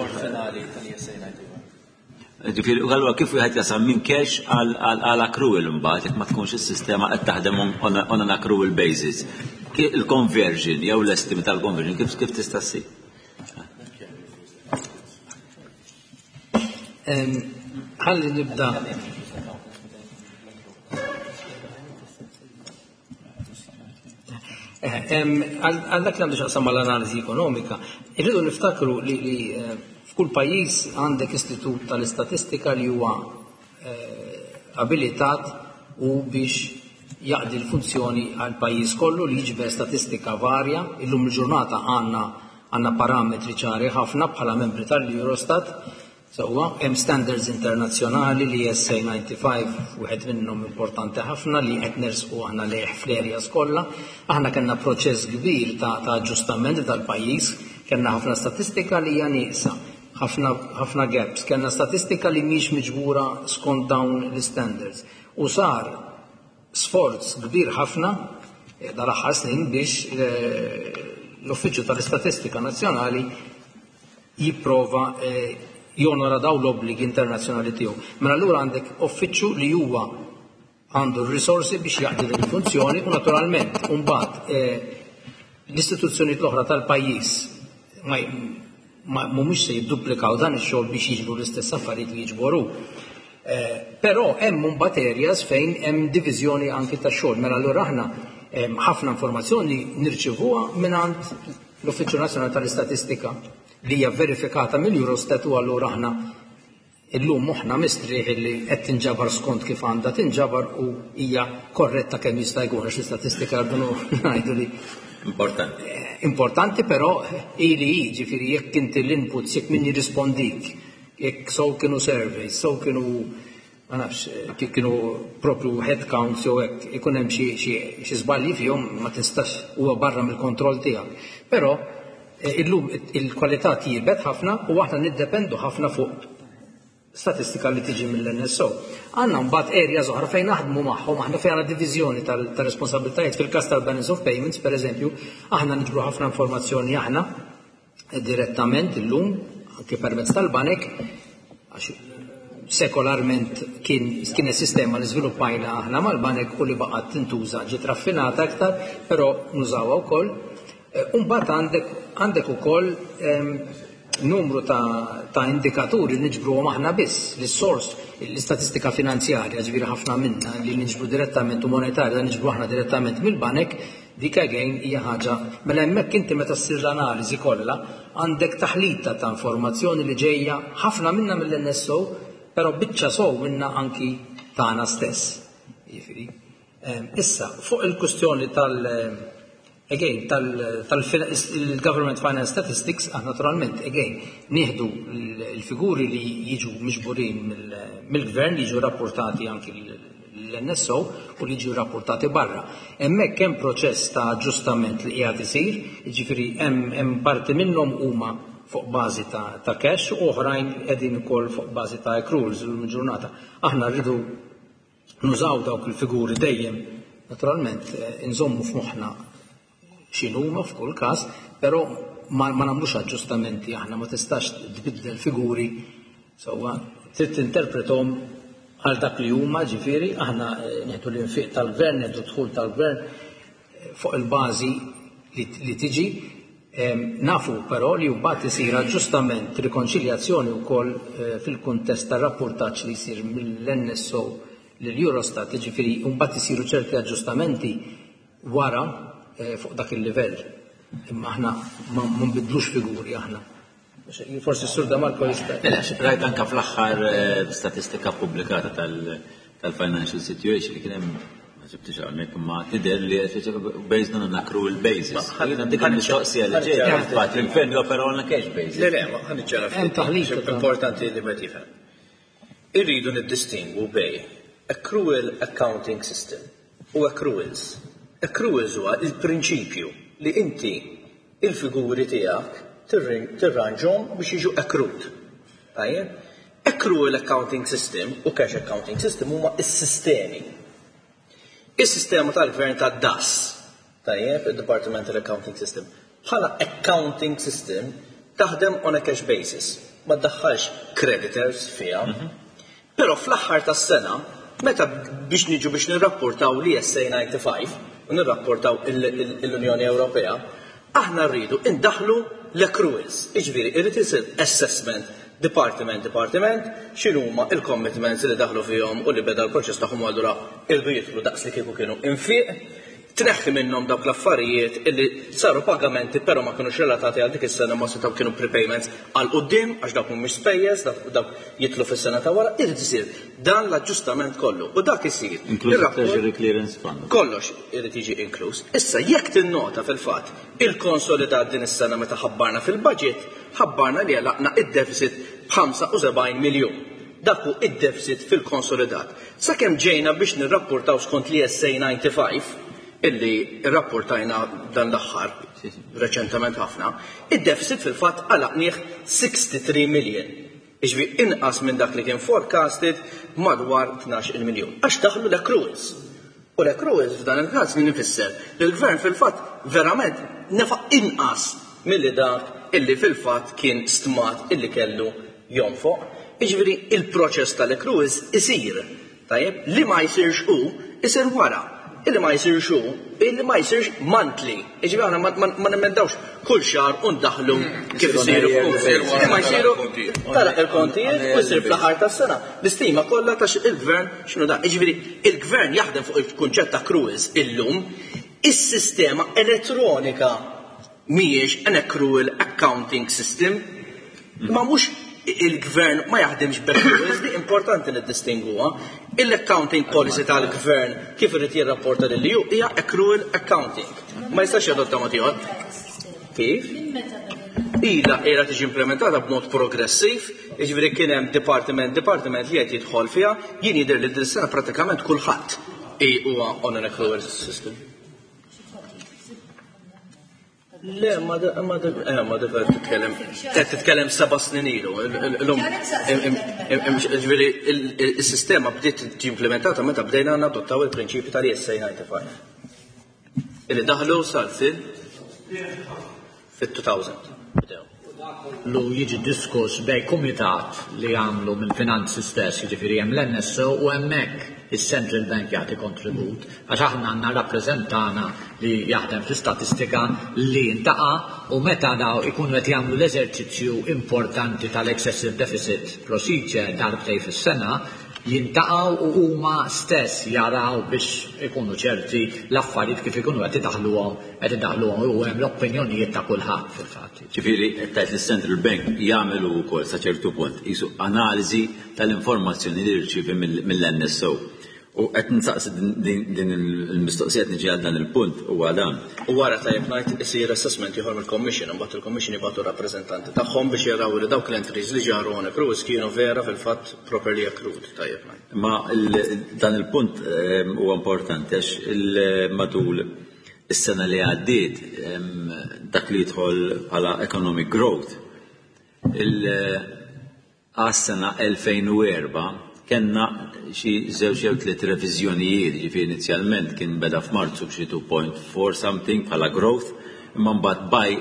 Ġifieri, għalwa kif wieħed jasal minn cash għal accrual imbagħad jekk ma tkunx is-sistema qed taħdem on an accrual basis? Il-conversion jew l-estimate tal-conversion kif kif tista' ssir? Ħalli nibda. Għal dak li għandu x'jaqsam mal-analiżi ekonomika, irridu niftakru li eh, f'kull pajjiż għandek istitut tal-istatistika li huwa eh, abilitat u biex jaqdi l-funzjoni għal pajjiż kollu li jiġbed statistika varja. Illum il-ġurnata għandna għandna parametri ċari ħafna bħala membri tal-Eurostat. Sewwa, hemm standards internazzjonali li S A disgħa u disgħin wieħed minnhom importanti ħafna li qed nersqu aħna lejh fl-areas kollha. Aħna kellna proċess kbir ta' ta' aġġustament tal-pajjiż, Kellna ħafna statistika li hija nieqsa, ħafna ħafna gaps, kellna statistika li mhix miġbura skont dawn l-standards. U sar sforz kbir ħafna eh, dal-aħħar snin biex eh, l-Uffiċċju tal-Istatistika Nazzjonali jipprova eh, jonora daw l-obbligi internazzjonali tiegħu. Mela allura għandek uffiċċju li huwa għandu r-risorsi biex jaqdi din il-funzjoni u naturalment mbagħad l-istituzzjonijiet l-oħra tal-pajjiż ma ma mhumiex se jidduplikaw dan ix-xogħol biex jiġbru l-istess affarijiet li jiġboru. Eh, Però hemm mbagħad areas fejn hemm diviżjoni anki tax-xogħol. Mela allura aħna em, ħafna informazzjoni nirċivuha mingħand l-Uffiċċju Nazzjonali tal-Istatistika li hija verifikata mill-Eurostat u allura aħna illum moħħna mistrieħ li qed tinġabar skont kif għandha tinġabar u hija korretta kemm jista' jkun għax l-istatistika rridu ngħidu li Importanti. importanti però ili jiġifieri jekk inti l-inputs jekk min jirrispondik jekk sew kienu surveys, sew kienu ma nafx, kif kienu propju head counts jew hekk ikun hemm xi xi xi żbalji fihom ma tistax huwa barra mill-kontroll tiegħek. Però eh, illum il-kwalità tjiebet ħafna u aħna niddependu ħafna fuq statistika li tiġi mill-N S O. Għandna mbagħad areas oħra fejn naħdmu magħhom, aħna fejn għandna diviżjoni tal-responsabbiltajiet fil-każ tal-balance of payments, per eżempju, aħna niġbru ħafna informazzjoni aħna direttament illum, anke permezz tal-banek, għax sekolarment kien kien sistema li żviluppajna aħna mal-banek u li baqgħet tintuża, ġiet raffinata aktar, però nużawha wkoll. Mbagħad għandek għandek ukoll em, numru ta', ta' indikaturi li niġbruhom aħna biss, l-sors, l-istatistika finanzjarja, ġifieri ħafna minna li niġbru direttament u monetarja li niġbru aħna direttament mill-banek, dik again hija ħaġa. Mela hemmhekk inti meta ssir l-analiżi kollha għandek taħlita ta' informazzjoni li ġejja ħafna minna mill-N S O, però biċċa sew minna anki tagħna stess. Jiġifieri. Em, Issa, fuq il-kustjoni tal- again, tal-Government Finance Statistics, ah, naturalment, again, nieħdu l-figuri li jiġu miġburin mill-gvern, li jiġu rapportati anki l-N S O u li jiġu rapportati barra. Hemmhekk hemm proċess ta' aġġustament li qiegħed isir, jiġifieri hemm hemm parti minnhom huma fuq bażi ta', ta' cash u oħrajn qegħdin ukoll fuq bażi ta' accruals l-ġurnata. Aħna rridu nużaw dawk il-figuri dejjem, naturalment, eh, nżommu f'moħħna x'inhuma f'kull każ, però ma, ma nagħmlux aġġustamenti aħna, ma tistax tbiddel figuri sewwa, trid tinterpretom għal dak li huma, ġifieri aħna eh, nieħdu l-infiq tal-gvern, nieħdu dħul tal-gvern eh, fuq il-bażi li, li tiġi. Em, Nafu però li mbagħad isir aġġustament, rikonċiljazzjoni wkoll eh, fil-kuntest tar-rapportaġġ li jsir mill-N S O lill-Eurostat, ġifieri mbagħad isiru ċerti aġġustamenti wara eh, fuq dak il-livell. Imma aħna ma ma nbidlux figuri aħna. Forsi s-Sur Da Marco jista' Mela, rajt anka fl-aħħar eh, statistika pubblikata tal- tal-financial situation li kien hemm, ma ġibtix hawnhekk, imma tidher li based on an accrual basis. Jiena dik il-mistoqsija li ġejja, fatt il-gvern jopera on a cash basis. Le, le, ma ħa niċċara. Hemm taħlita ta' Importanti li ma tifhem. Irridu niddistingwu bejn accrual accounting system u accruals. Accruals huwa il-prinċipju li inti il-figuri tiegħek tirranġhom biex jiġu accrued. Tajjeb? Accrual accounting system u cash accounting system huma s-sistemi. Is-sistema tal-gvern ta' D A S, tajjeb, il-Departmental Accounting System, bħala accounting system taħdem on a cash basis, ma ddaħħalx creditors fiha. Però fl-aħħar tas-sena, meta biex niġu biex nirrapportaw l-I S A disgħa u disgħin u nirrapportaw l-Unjoni Ewropea, aħna rridu indaħlu l-accruals. Iġifieri, irrid isir assessment department department, x'inhuma il-commitments li daħlu fihom u li beda l-proċess tagħhom, allura irdu jidħlu daqs li kieku kienu infiq, tneħħi minnhom dawk l-affarijiet illi saru pagamenti però ma kinux relatati għal dik is-sena, ma setgħu kienu prepayments għal quddiem għax dawk mhumiex spejjeż, dawk dawk jidħlu fis-sena ta' wara, irid isir dan l-aġġustament kollu. U dak isir. Inkluż Ir-rapport- Treasury Clearance Fund. Kollox irid jiġi inkluż. Issa jekk tinnota fil-fatt il-konsolidat din is-sena meta ħabbarna fil-budget, ħabbarna li għalaqna id-deficit b'ħamsa u sebgħin miljun. Dak hu id-deficit fil-konsolidat. Sakemm ġejna biex nirrapportaw skont l-I S A disgħa u disgħin illi rrapportajna dan l-aħħar, reċentament ħafna, id-deficit fil-fatt għalaqnieh sixty-three million. Jiġifieri inqas minn dak li kien forecasted madwar tnax-il miljun. Għax daħlu l-accruals. U l-accruals f'dan il-każ li nifisser li l-gvern fil-fatt verament nefaq inqas milli dak illi fil-fatt kien stmat illi kellu jonfoq. Jiġifieri il-proċess tal-accruals isir. Tajjeb, li ma jsirx hu, isir wara. Illi ma jsirx hu, illi ma jsirx monthly. Jiġifieri aħna ma, ma, ma nemmendawx kull xahar u ndaħlu kif isiru f'kull. Li ma jsiru tara il-kontijiet u jsir fl-aħħar tas-sena. L-istima kollha ta' il-gvern x'inhu da. Jiġifieri il-gvern jaħdem fuq il-kunċett ta' accruals illum, is-sistema elettronika mhijiex an accrual accounting system, ma mhux il-gvern ma jaħdimx b'accruals, di importanti niddistingwuha. Il-accounting policy tal-gvern kif irid jirrapporta lil E U hija accrual accounting. Ma jistax jadotta mod ieħor. Kif? Ila qiegħda tiġi implementata b'mod progressiv, jiġifieri kien hemm department, department li qed jidħol fiha, jien jidher li din is-sena pratikament kulħadd huwa on an accrual system. Le, ma da, ma da, eh, ma da qed titkellem, qed titkellem seba' snin ilu. Illum, ġifieri is-sistema bdiet tiġi implementata meta bdejna nadottaw il-prinċipju tal-I S A ninety-five. Illi daħlu sal fil fit-two thousand. Bdew. Lu jiġi diskuss bej kumitat li għamlu mill-finanzi stess, jiġifieri hemm l-N S O u hemmhekk is-Central Bank jagħti kontribut, għax aħna għandna rappreżentana li jaħdem fl-istatistika li ntaqa' u meta daw ikunu qed jagħmlu l-eżerċizzju importanti tal-excessive deficit procedure darbtej fis-sena, jintaqgħu u huma stess jaraw biex ikunu ċerti l-affarijiet kif ikunu qed idaħluhom, qed idaħluhom u hemm l-opinjonijiet ta' kulħadd fil-fatt. Ġifieri qed tgħid li s-Central Bank jagħmlu wkoll sa ċertu punt qisu analiżi tal-informazzjoni li jirċievi mill-N S O. U qed nsaqsi din, din il-mistoqsija qed niġi għal dan il-punt huwa dan. U wara tajjeb ngħid isir assessment ieħor mill-Commission, imbagħad il-Commission jibgħatu rappreżentanti tagħhom biex jaraw li dawk l-entries li ġaru on accruals kienu vera fil-fatt properly accrued, tajjeb ngħid. Ma il-, dan il-punt, ehm, huwa importanti għax il-, matul is-sena li għaddiet, ehm, dak li jidħol bħala economic growth, il-, għas-sena elfejn u erba' kellna xi żewġ jew tliet reviżjonijiet, ġifieri inizjalment kien beda f'Marzu b'xi two point four something bħala growth, imma mbagħad by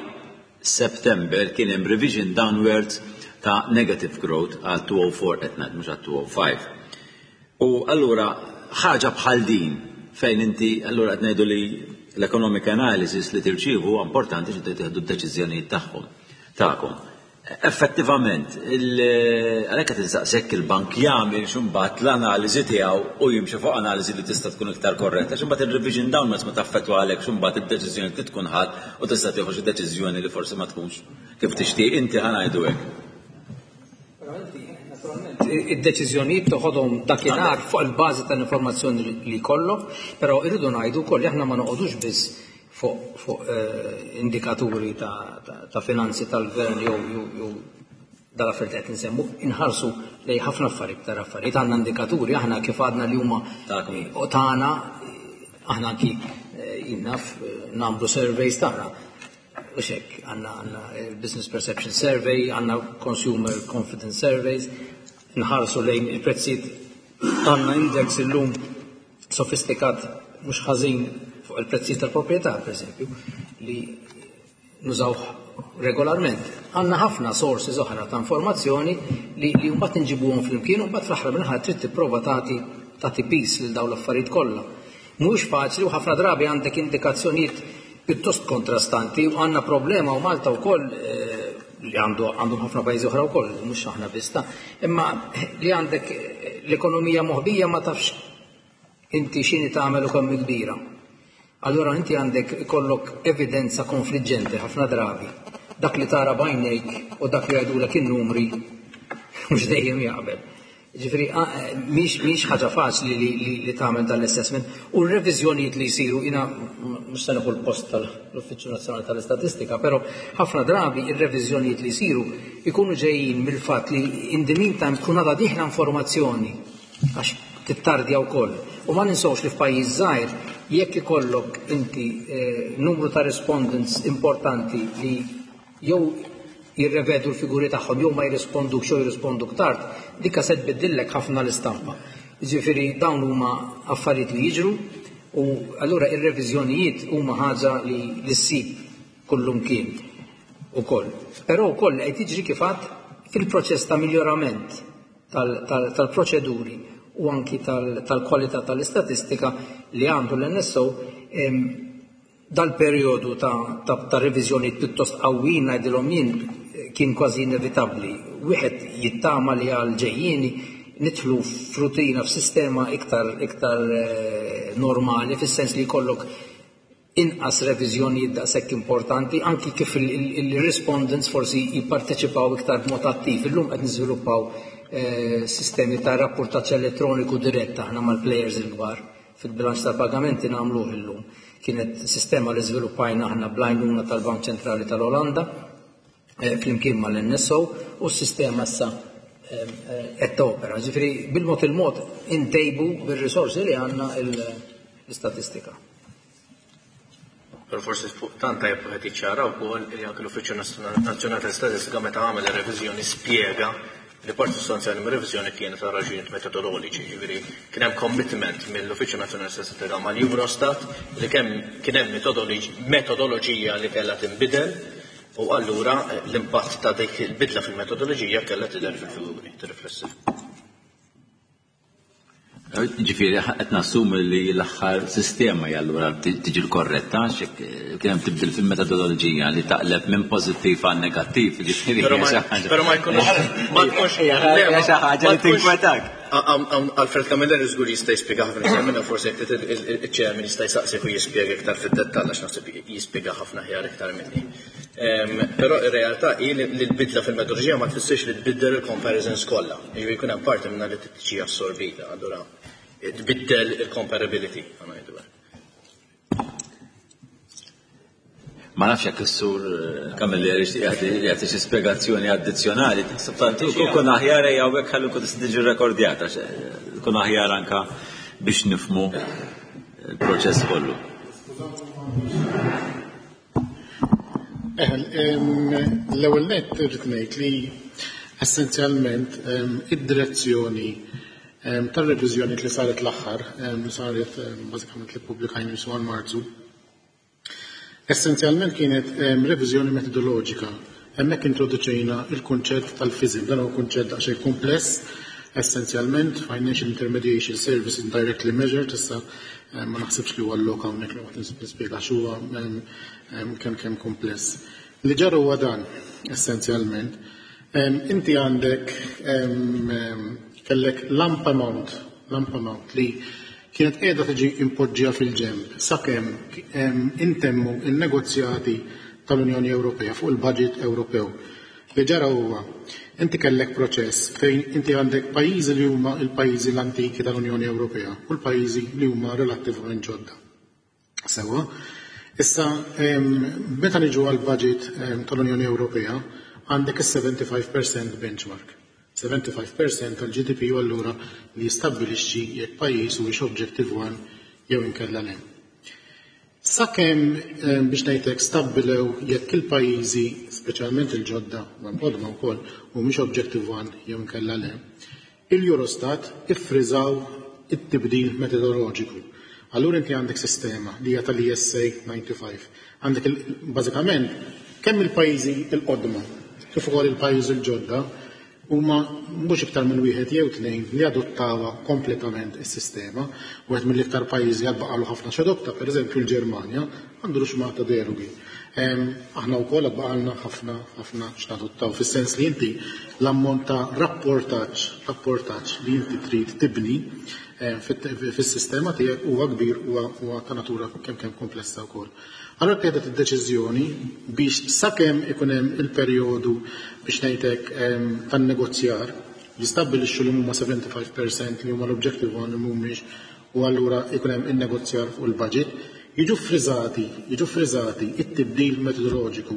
September kien hemm revision downwards ta' negative growth għal two oh four qed ngħid, mhux għal two oh five. U allura ħaġa bħal din fejn inti allura qed ngħidu li l-economic analysis li tirċievu huwa importanti xi tieħdu d-deċiżjonijiet tagħhom tagħkom. Effettivament, il-, għalhekk qed insaqsek il-bank jagħmel x'imbagħad l-analiżi tiegħu u jimxi fuq analiżi li tista' tkun iktar korretta, x'imbagħad ir-revision downwards ma taffettwa għalhekk x'imbagħad id-deċiżjoni li tkun ħadd u tista' tieħu xi deċiżjoni li forsi ma tkunx kif tixtieq inti ħa ngħidu hekk. Però inti, naturalment, id-deċiżjonijiet toħodhom dakinhar fuq il-bażi tal-informazzjoni li jkollok, però irridu ngħidu wkoll li aħna ma noqogħdux biss fuq, fuq, eh, indikaturi ta', ta, ta' finanzi tal-gvern jew, jew, jew dal-affarijiet qed nsemmu, inħarsu lej ħafna affarijiet iktar affarijiet. Għandna indikaturi aħna kif għadna li huma Tagħkom. u tagħna, aħna anki, eh, jinnaf, eh, nagħmlu surveys tagħna. U xek, għandna, għandna il-Business Perception Survey, għandna Consumer Confidence Surveys, nħarsu lejn il-prezzijiet, għandna index illum sofistikat mhux ħażin fuq il-prezzijiet tal-proprjetà, per eżempju, li nużawh regolarment. Għandna ħafna sources oħra ta' informazzjoni li, li mbagħad inġibuhom flimkien u mbagħad fl-aħħar mill-aħħar trid tipprova tagħti, tagħti pis lil dawn l-affarijiet kollha. Mhux faċli u ħafna drabi għandek indikazzjonijiet pjuttost kontrastanti u għandna problema u Malta wkoll, eh, li għandu, għandhom ħafna pajjiżi oħra wkoll, mhux aħna biss ta', imma li għandek l-ekonomija moħbija ma tafx inti x'inhi tagħmel u kemm kbira. Allora inti għandek ikollok evidenza konfliġġenti ħafna drabi. Dak li tara b'għajnejk u dak li jgħidulek in-numri mhux dejjem jaqbel. Ġifieri, a, mhix, mhix ħaġa faċli li, li, li tagħmel dan l-assessment u r-reviżjonijiet li jsiru, jiena mhux se nieħu l-post tal-Uffiċċju Nazzjonali tal-Istatistika, però ħafna drabi ir-reviżjonijiet li jsiru jkunu ġejjin mill-fatt li in the meantime tkun għadha dieħla informazzjoni għax tittardja wkoll. U ma ninsewx li f'pajjiż żgħir Jekk ikollok inti eh, numru ta' respondents importanti li jew jirrevedu l-figuri tagħhom jew ma jirrisponduk jew jirrisponduk tard, dikka se tbiddillek ħafna l-istampa. Jiġifieri dawn huma affarijiet li jiġru u allura ir-reviżjonijiet huma ħaġa li li ssib kullumkien ukoll. Però wkoll qed jiġri kif għadd fil-proċess ta' miljorament tal-proċeduri u anki tal-kwalità tal-istatistika li għandu l-N S O, dal-perjodu ta', ta reviżjoni pjuttost qawwin, ngħidilhom jien, kien kważi inevitabbli. Wieħed jittama li għal ġejjieni nidħlu f'rutina, f'sistema iktar iktar eh, normali, fis-sens li jkollok inqas reviżjonijiet daqshekk importanti, anki kif il-respondents forsi jipparteċipaw iktar b'mod attiv. Illum qed niżviluppaw eh, sistemi ta' rapportaġġ elettroniku dirett aħna mal-players il-kbar fil-bilanċ tal-pagamenti nagħmluh illum. Kienet sistema li żviluppajna aħna bl-għajnuna tal-Bank Ċentrali tal-Olanda eh, flimkien mal-N S O u s-sistema issa eh, qed topera. Ġifieri bil-mod il-mod intejbu bir-risorsi li għandna l-istatistika. Pero forsi fuq tant tajjeb wieħed jiċċara wkoll li anke l-Uffiċċju Nazzjonali tal-Istatistika meta għamel ir-reviżjoni spjega li parti sostanzjali mir-reviżjoni kienet ta' raġunijiet metodoloġiċi, ġifieri kien hemm commitment mill-Uffiċċju Nazzjonali tal-Istatistika mal-Eurostat li kemm kien hemm metodoloġija li kellha tinbidel u allura l-impatt ta' dik il-bidla fil-metodoloġija kellha tidher fil-figuri, tirriflessi. Ġifieri, qed nassumi li l-aħħar sistema hija allura tiġi l-korretta, xek kien hemm tibdil fil-metodoloġija li taqleb minn pożittiv għal negattiv, ġifieri. Però ma jkunux ma tkunx Hija xi ħaġa li tinkwetak. Alfred Camilleri żgur jista' jispjega ħafna iktar minna, forsi jekk il-chairman jista' jsaqsik u jispjega iktar fid-dettall, għax naħseb jispjega ħafna ħjar iktar minni. Però ir-realtà hi li l-bidla fil-metodoloġija ma tfissirx li tbiddel il-comparisons kollha. Jiġifieri jkun hemm parti minnha li tiġi assorbita, allura tbiddel il-comparability, ngħidu. Ma nafx jekk is-sur Camilleri jagħti xi spjegazzjoni addizzjonali. Kun aħjar ejja hawnhekk ħalli nkun tista' tiġi rekordjata, kun aħjar anka biex nifhmu il-proċess kollu. L-ewwel nett irrid ngħid li essenzjalment id-direzzjoni tar-reviżjoni li saret l-aħħar, li saret bażikament li ppubblikajna għal Marzu, essenzjalment kienet reviżjoni metodoloġika. Hemmhekk introduċejna il-kunċett tal-FISM, dan huwa kunċett daqsxejn kumpless, essenzjalment Financial Intermediation Services Indirectly Measured. Issa ma naħsibx li huwa l-lok hawnhekk li waqt nispjega x'huwa, kemm kemm kumpless. Li ġara huwa dan, essenzjalment. Inti għandek kellek lump amount, lump amount li kienet qiegħda tiġi impoġġija fil-ġenb sakemm intemmu il-negozjati tal-Unjoni Ewropea fuq il-budget Ewropew. Li ġara huwa, inti kellek proċess fejn inti għandek pajjiżi li huma l-pajjiżi l-antiki tal-Unjoni Ewropea u l-pajjiżi li huma relattivament ġodda. Sewa, issa meta niġu għal-budget tal-Unjoni Ewropea għandek is-sebgħa u sebgħin fil-mija benchmark. sebgħa u sebgħin fil-mija tal-G D P u allura li jistabbilixxi jekk pajjiż huwiex Objective one jew inkella le. Sakemm, biex ngħidlek, stabbilew jekk il-pajjiżi, speċjalment il-ġodda, ma l-qodma wkoll, humiex Objective one jew inkella le, il-Eurostat iffriżaw it-tibdil metodoloġiku. Allura inti għandek sistema li hija tal-E S A ħamsa u disgħin. Għandek bażikament kemm il-pajjiżi il-qodma kif ukoll il-pajjiżi l-ġodda huma mhux iktar minn wieħed jew tnejn li adottawha kompletament is-sistema. Wieħed mill-iktar pajjiżi għad baqalu ħafna x'adotta, pereżempju l-Ġermanja, għandu ruxmata derogi. Aħna wkoll għad baqalna ħafna ħafna x'nadottaw, fis-sens li inti l-ammont ta' rapportaġġ rapportaġġ li inti trid tibni fis-sistema tiegħek huwa kbir, huwa ta' natura kemm kemm komplessa wkoll. Allora qiegħda id-deċiżjoni biex sakemm ikun hemm il-perjodu, biex ngħidlek, tan-negozjar jistabbilixxu li huma sebgħa u sebgħin fil-mija li huma l-Objective one li mhumiex u allura ikun hemm in-negozjar fuq il-budget, jiġu friżati, jiġu friżati it-tibdil metodoloġiku.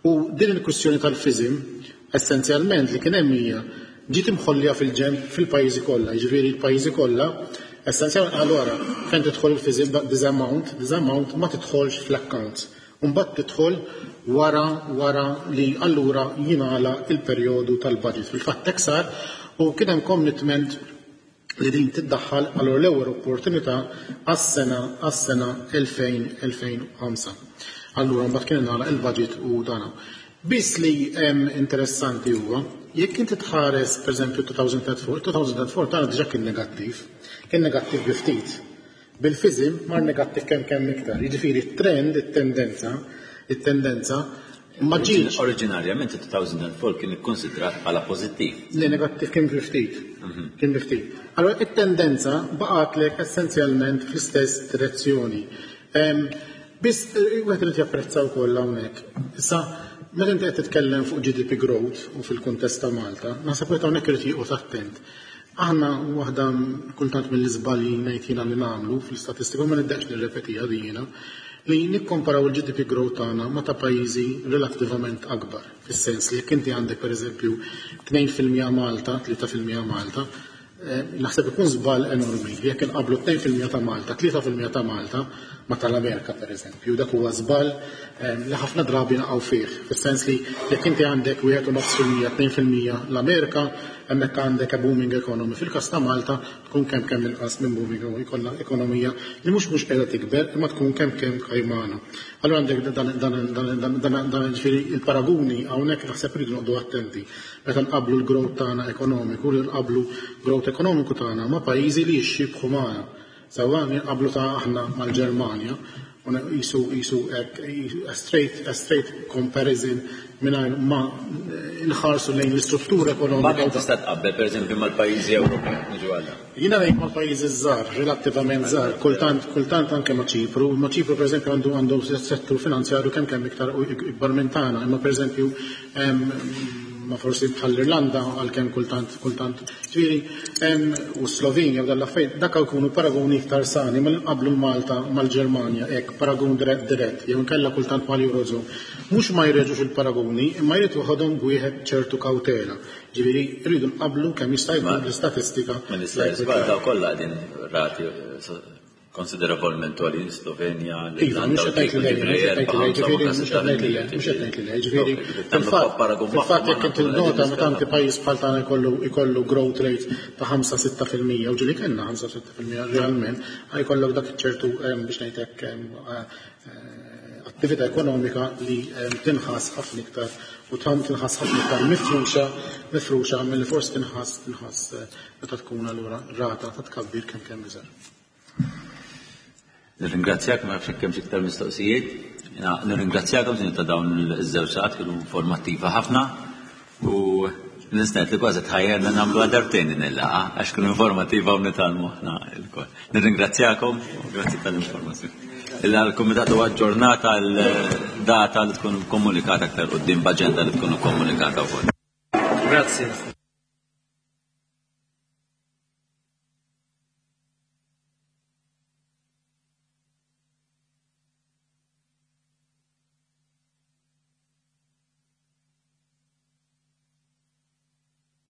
U din il-kwistjoni tal-FISM essenzjalment li kien hemm hija ġiet imħollija fil-ġenb fil-pajjiżi kollha, jiġifieri l-pajjiżi kollha Essenzjalment allura fejn tidħol il-FISM this amount, this amount ma tidħolx fl-accounts. Mbagħad tidħol wara wara li allura jingħala il-perjodu tal-budget. Fil-fatt hekk sar u kien hemm commitment li din tiddaħħal allura l-ewwel opportunità għas-sena għas-sena elfejn u ħamsa. Allura mbagħad kien ingħalaq il-budget u dana. Biss li hemm interessanti huwa, jekk inti tħares pereżempju two thousand four, two thousand four tagħna diġà kien negattiv, kien negattiv bi ftit. Bil-FISM mar negattiv kemm kemm iktar. Jiġifieri t-trend, it-tendenza, it-tendenza ma ġietx. Oriġinarjament two thousand four kien ikkonsidrat bħala pożittiv. Le, negattiv kien bi ftit. Kien bi ftit. Allora it-tendenza baqgħetlek essenzjalment fl-istess direzzjoni. Biss wieħed irid japprezza wkoll hawnhekk. Issa, meta inti qed titkellem fuq G D P growth u fil-kuntest ta' Malta, naħseb wieħed hawnhekk irid joqgħod attent. Aħna waħda kultant mill-iżbalji ngħid jiena li nagħmlu fl-istatistika, ma niddeqx nirrepetiha din jiena, li nikkomparaw il-G D P growth tagħna ma ta' pajjiżi relattivament akbar. Fis-sens li jekk inti għandek pereżempju tnejn fil-mija Malta, tlieta fil-mija Malta, naħseb ikun żball enormi li jekk inqablu tnejn fil-mija ta' Malta, tlieta fil-mija ta' Malta ma tal-Amerika pereżempju, dak huwa żball li ħafna drabi naqgħu fih. Fis-sens li jekk inti għandek wieħed u nofs fil-mija, tnejn fil-mija l-Amerika, hemmhekk għandek a booming economy. Fil-każ ta' Malta tkun kemm kemm inqas minn booming economy, jkollha ekonomija li mhux mhux qiegħda tikber, imma tkun kemm kemm kajmana. Allura għandek dan dan dan dan dan ġifieri il-paraguni hawnhekk naħseb rridu noqogħdu attenti. Meta nqablu l-growth tagħna ekonomiku, li nqablu growth ekonomiku tagħna ma' pajjiżi li jixxibħu magħna. Sewwa nqablu ta' aħna mal-Ġermanja, u jisu jisu hekk a straight a straight comparison mingħajr ma nħarsu lejn l-istruttura ekonomika. Ma tista' tqabbel pereżempju mal-pajjiżi Ewropej, niġu għal. Jiena ngħid mal-pajjiżi żgħar, relattivament żgħar, kultant kultant anke ma' Ċipru, ma' Ċipru pereżempju għandu għandu settur finanzjarju kemm kemm iktar ikbar minn tagħna, imma pereżempju ma forsi bħall-Irlanda għalkemm kultant kultant ġifieri u Slovenja u dal-affarijiet dak jkunu paragoni iktar sani ma nqablu Malta mal-Ġermanja hekk paragun dirett dirett jew inkella kultant mal-Eurozone. Mhux ma jreġux il-paragoni imma jrid joħodhom b'wieħed ċertu kawtela. Ġifieri rridu nqablu kemm jista' jkun l-istatistika. Ma nista' żball daw kollha qegħdin rati konsiderevolment għolin, Slovenja, Iva, mhux qed ngħid li le, ġifieri mhux qed ngħid li le, mhux qed ngħid li le, ġifieri fil-fatt fil-fatt jekk inti nota meta inti pajjiż bħal tagħna jkollu jkollu growth rate ta' ħamsa sitta fil-mija u ġieli kellna ħamsa sitta fil-mija realment, jkollok dak ċertu biex ngħidlek attività ekonomika li tinħass ħafna iktar u tam tinħass ħafna iktar mifruxa mifruxa milli forsi tinħass tinħass meta tkun allura rata ta' tkabbir kemm kemm iżgħar. Nirringrazzjak, ma nafx kemm iktar mistoqsijiet. Nirringrazzjakom sin ta' dawn iż-żewġ sigħat, kienu informattiva ħafna u nistgħet li kważi tħajjerna nagħmlu darbtejn din il-laqgħa għax kienu informattiva u nitgħallmu aħna lkoll. Nirringrazzjakom u grazzi tal-informazzjoni. Il-Kumitat huwa aġġornata l-data li tkun komunikata aktar quddiem b'aġenda li tkun komunikata wkoll. Grazzi.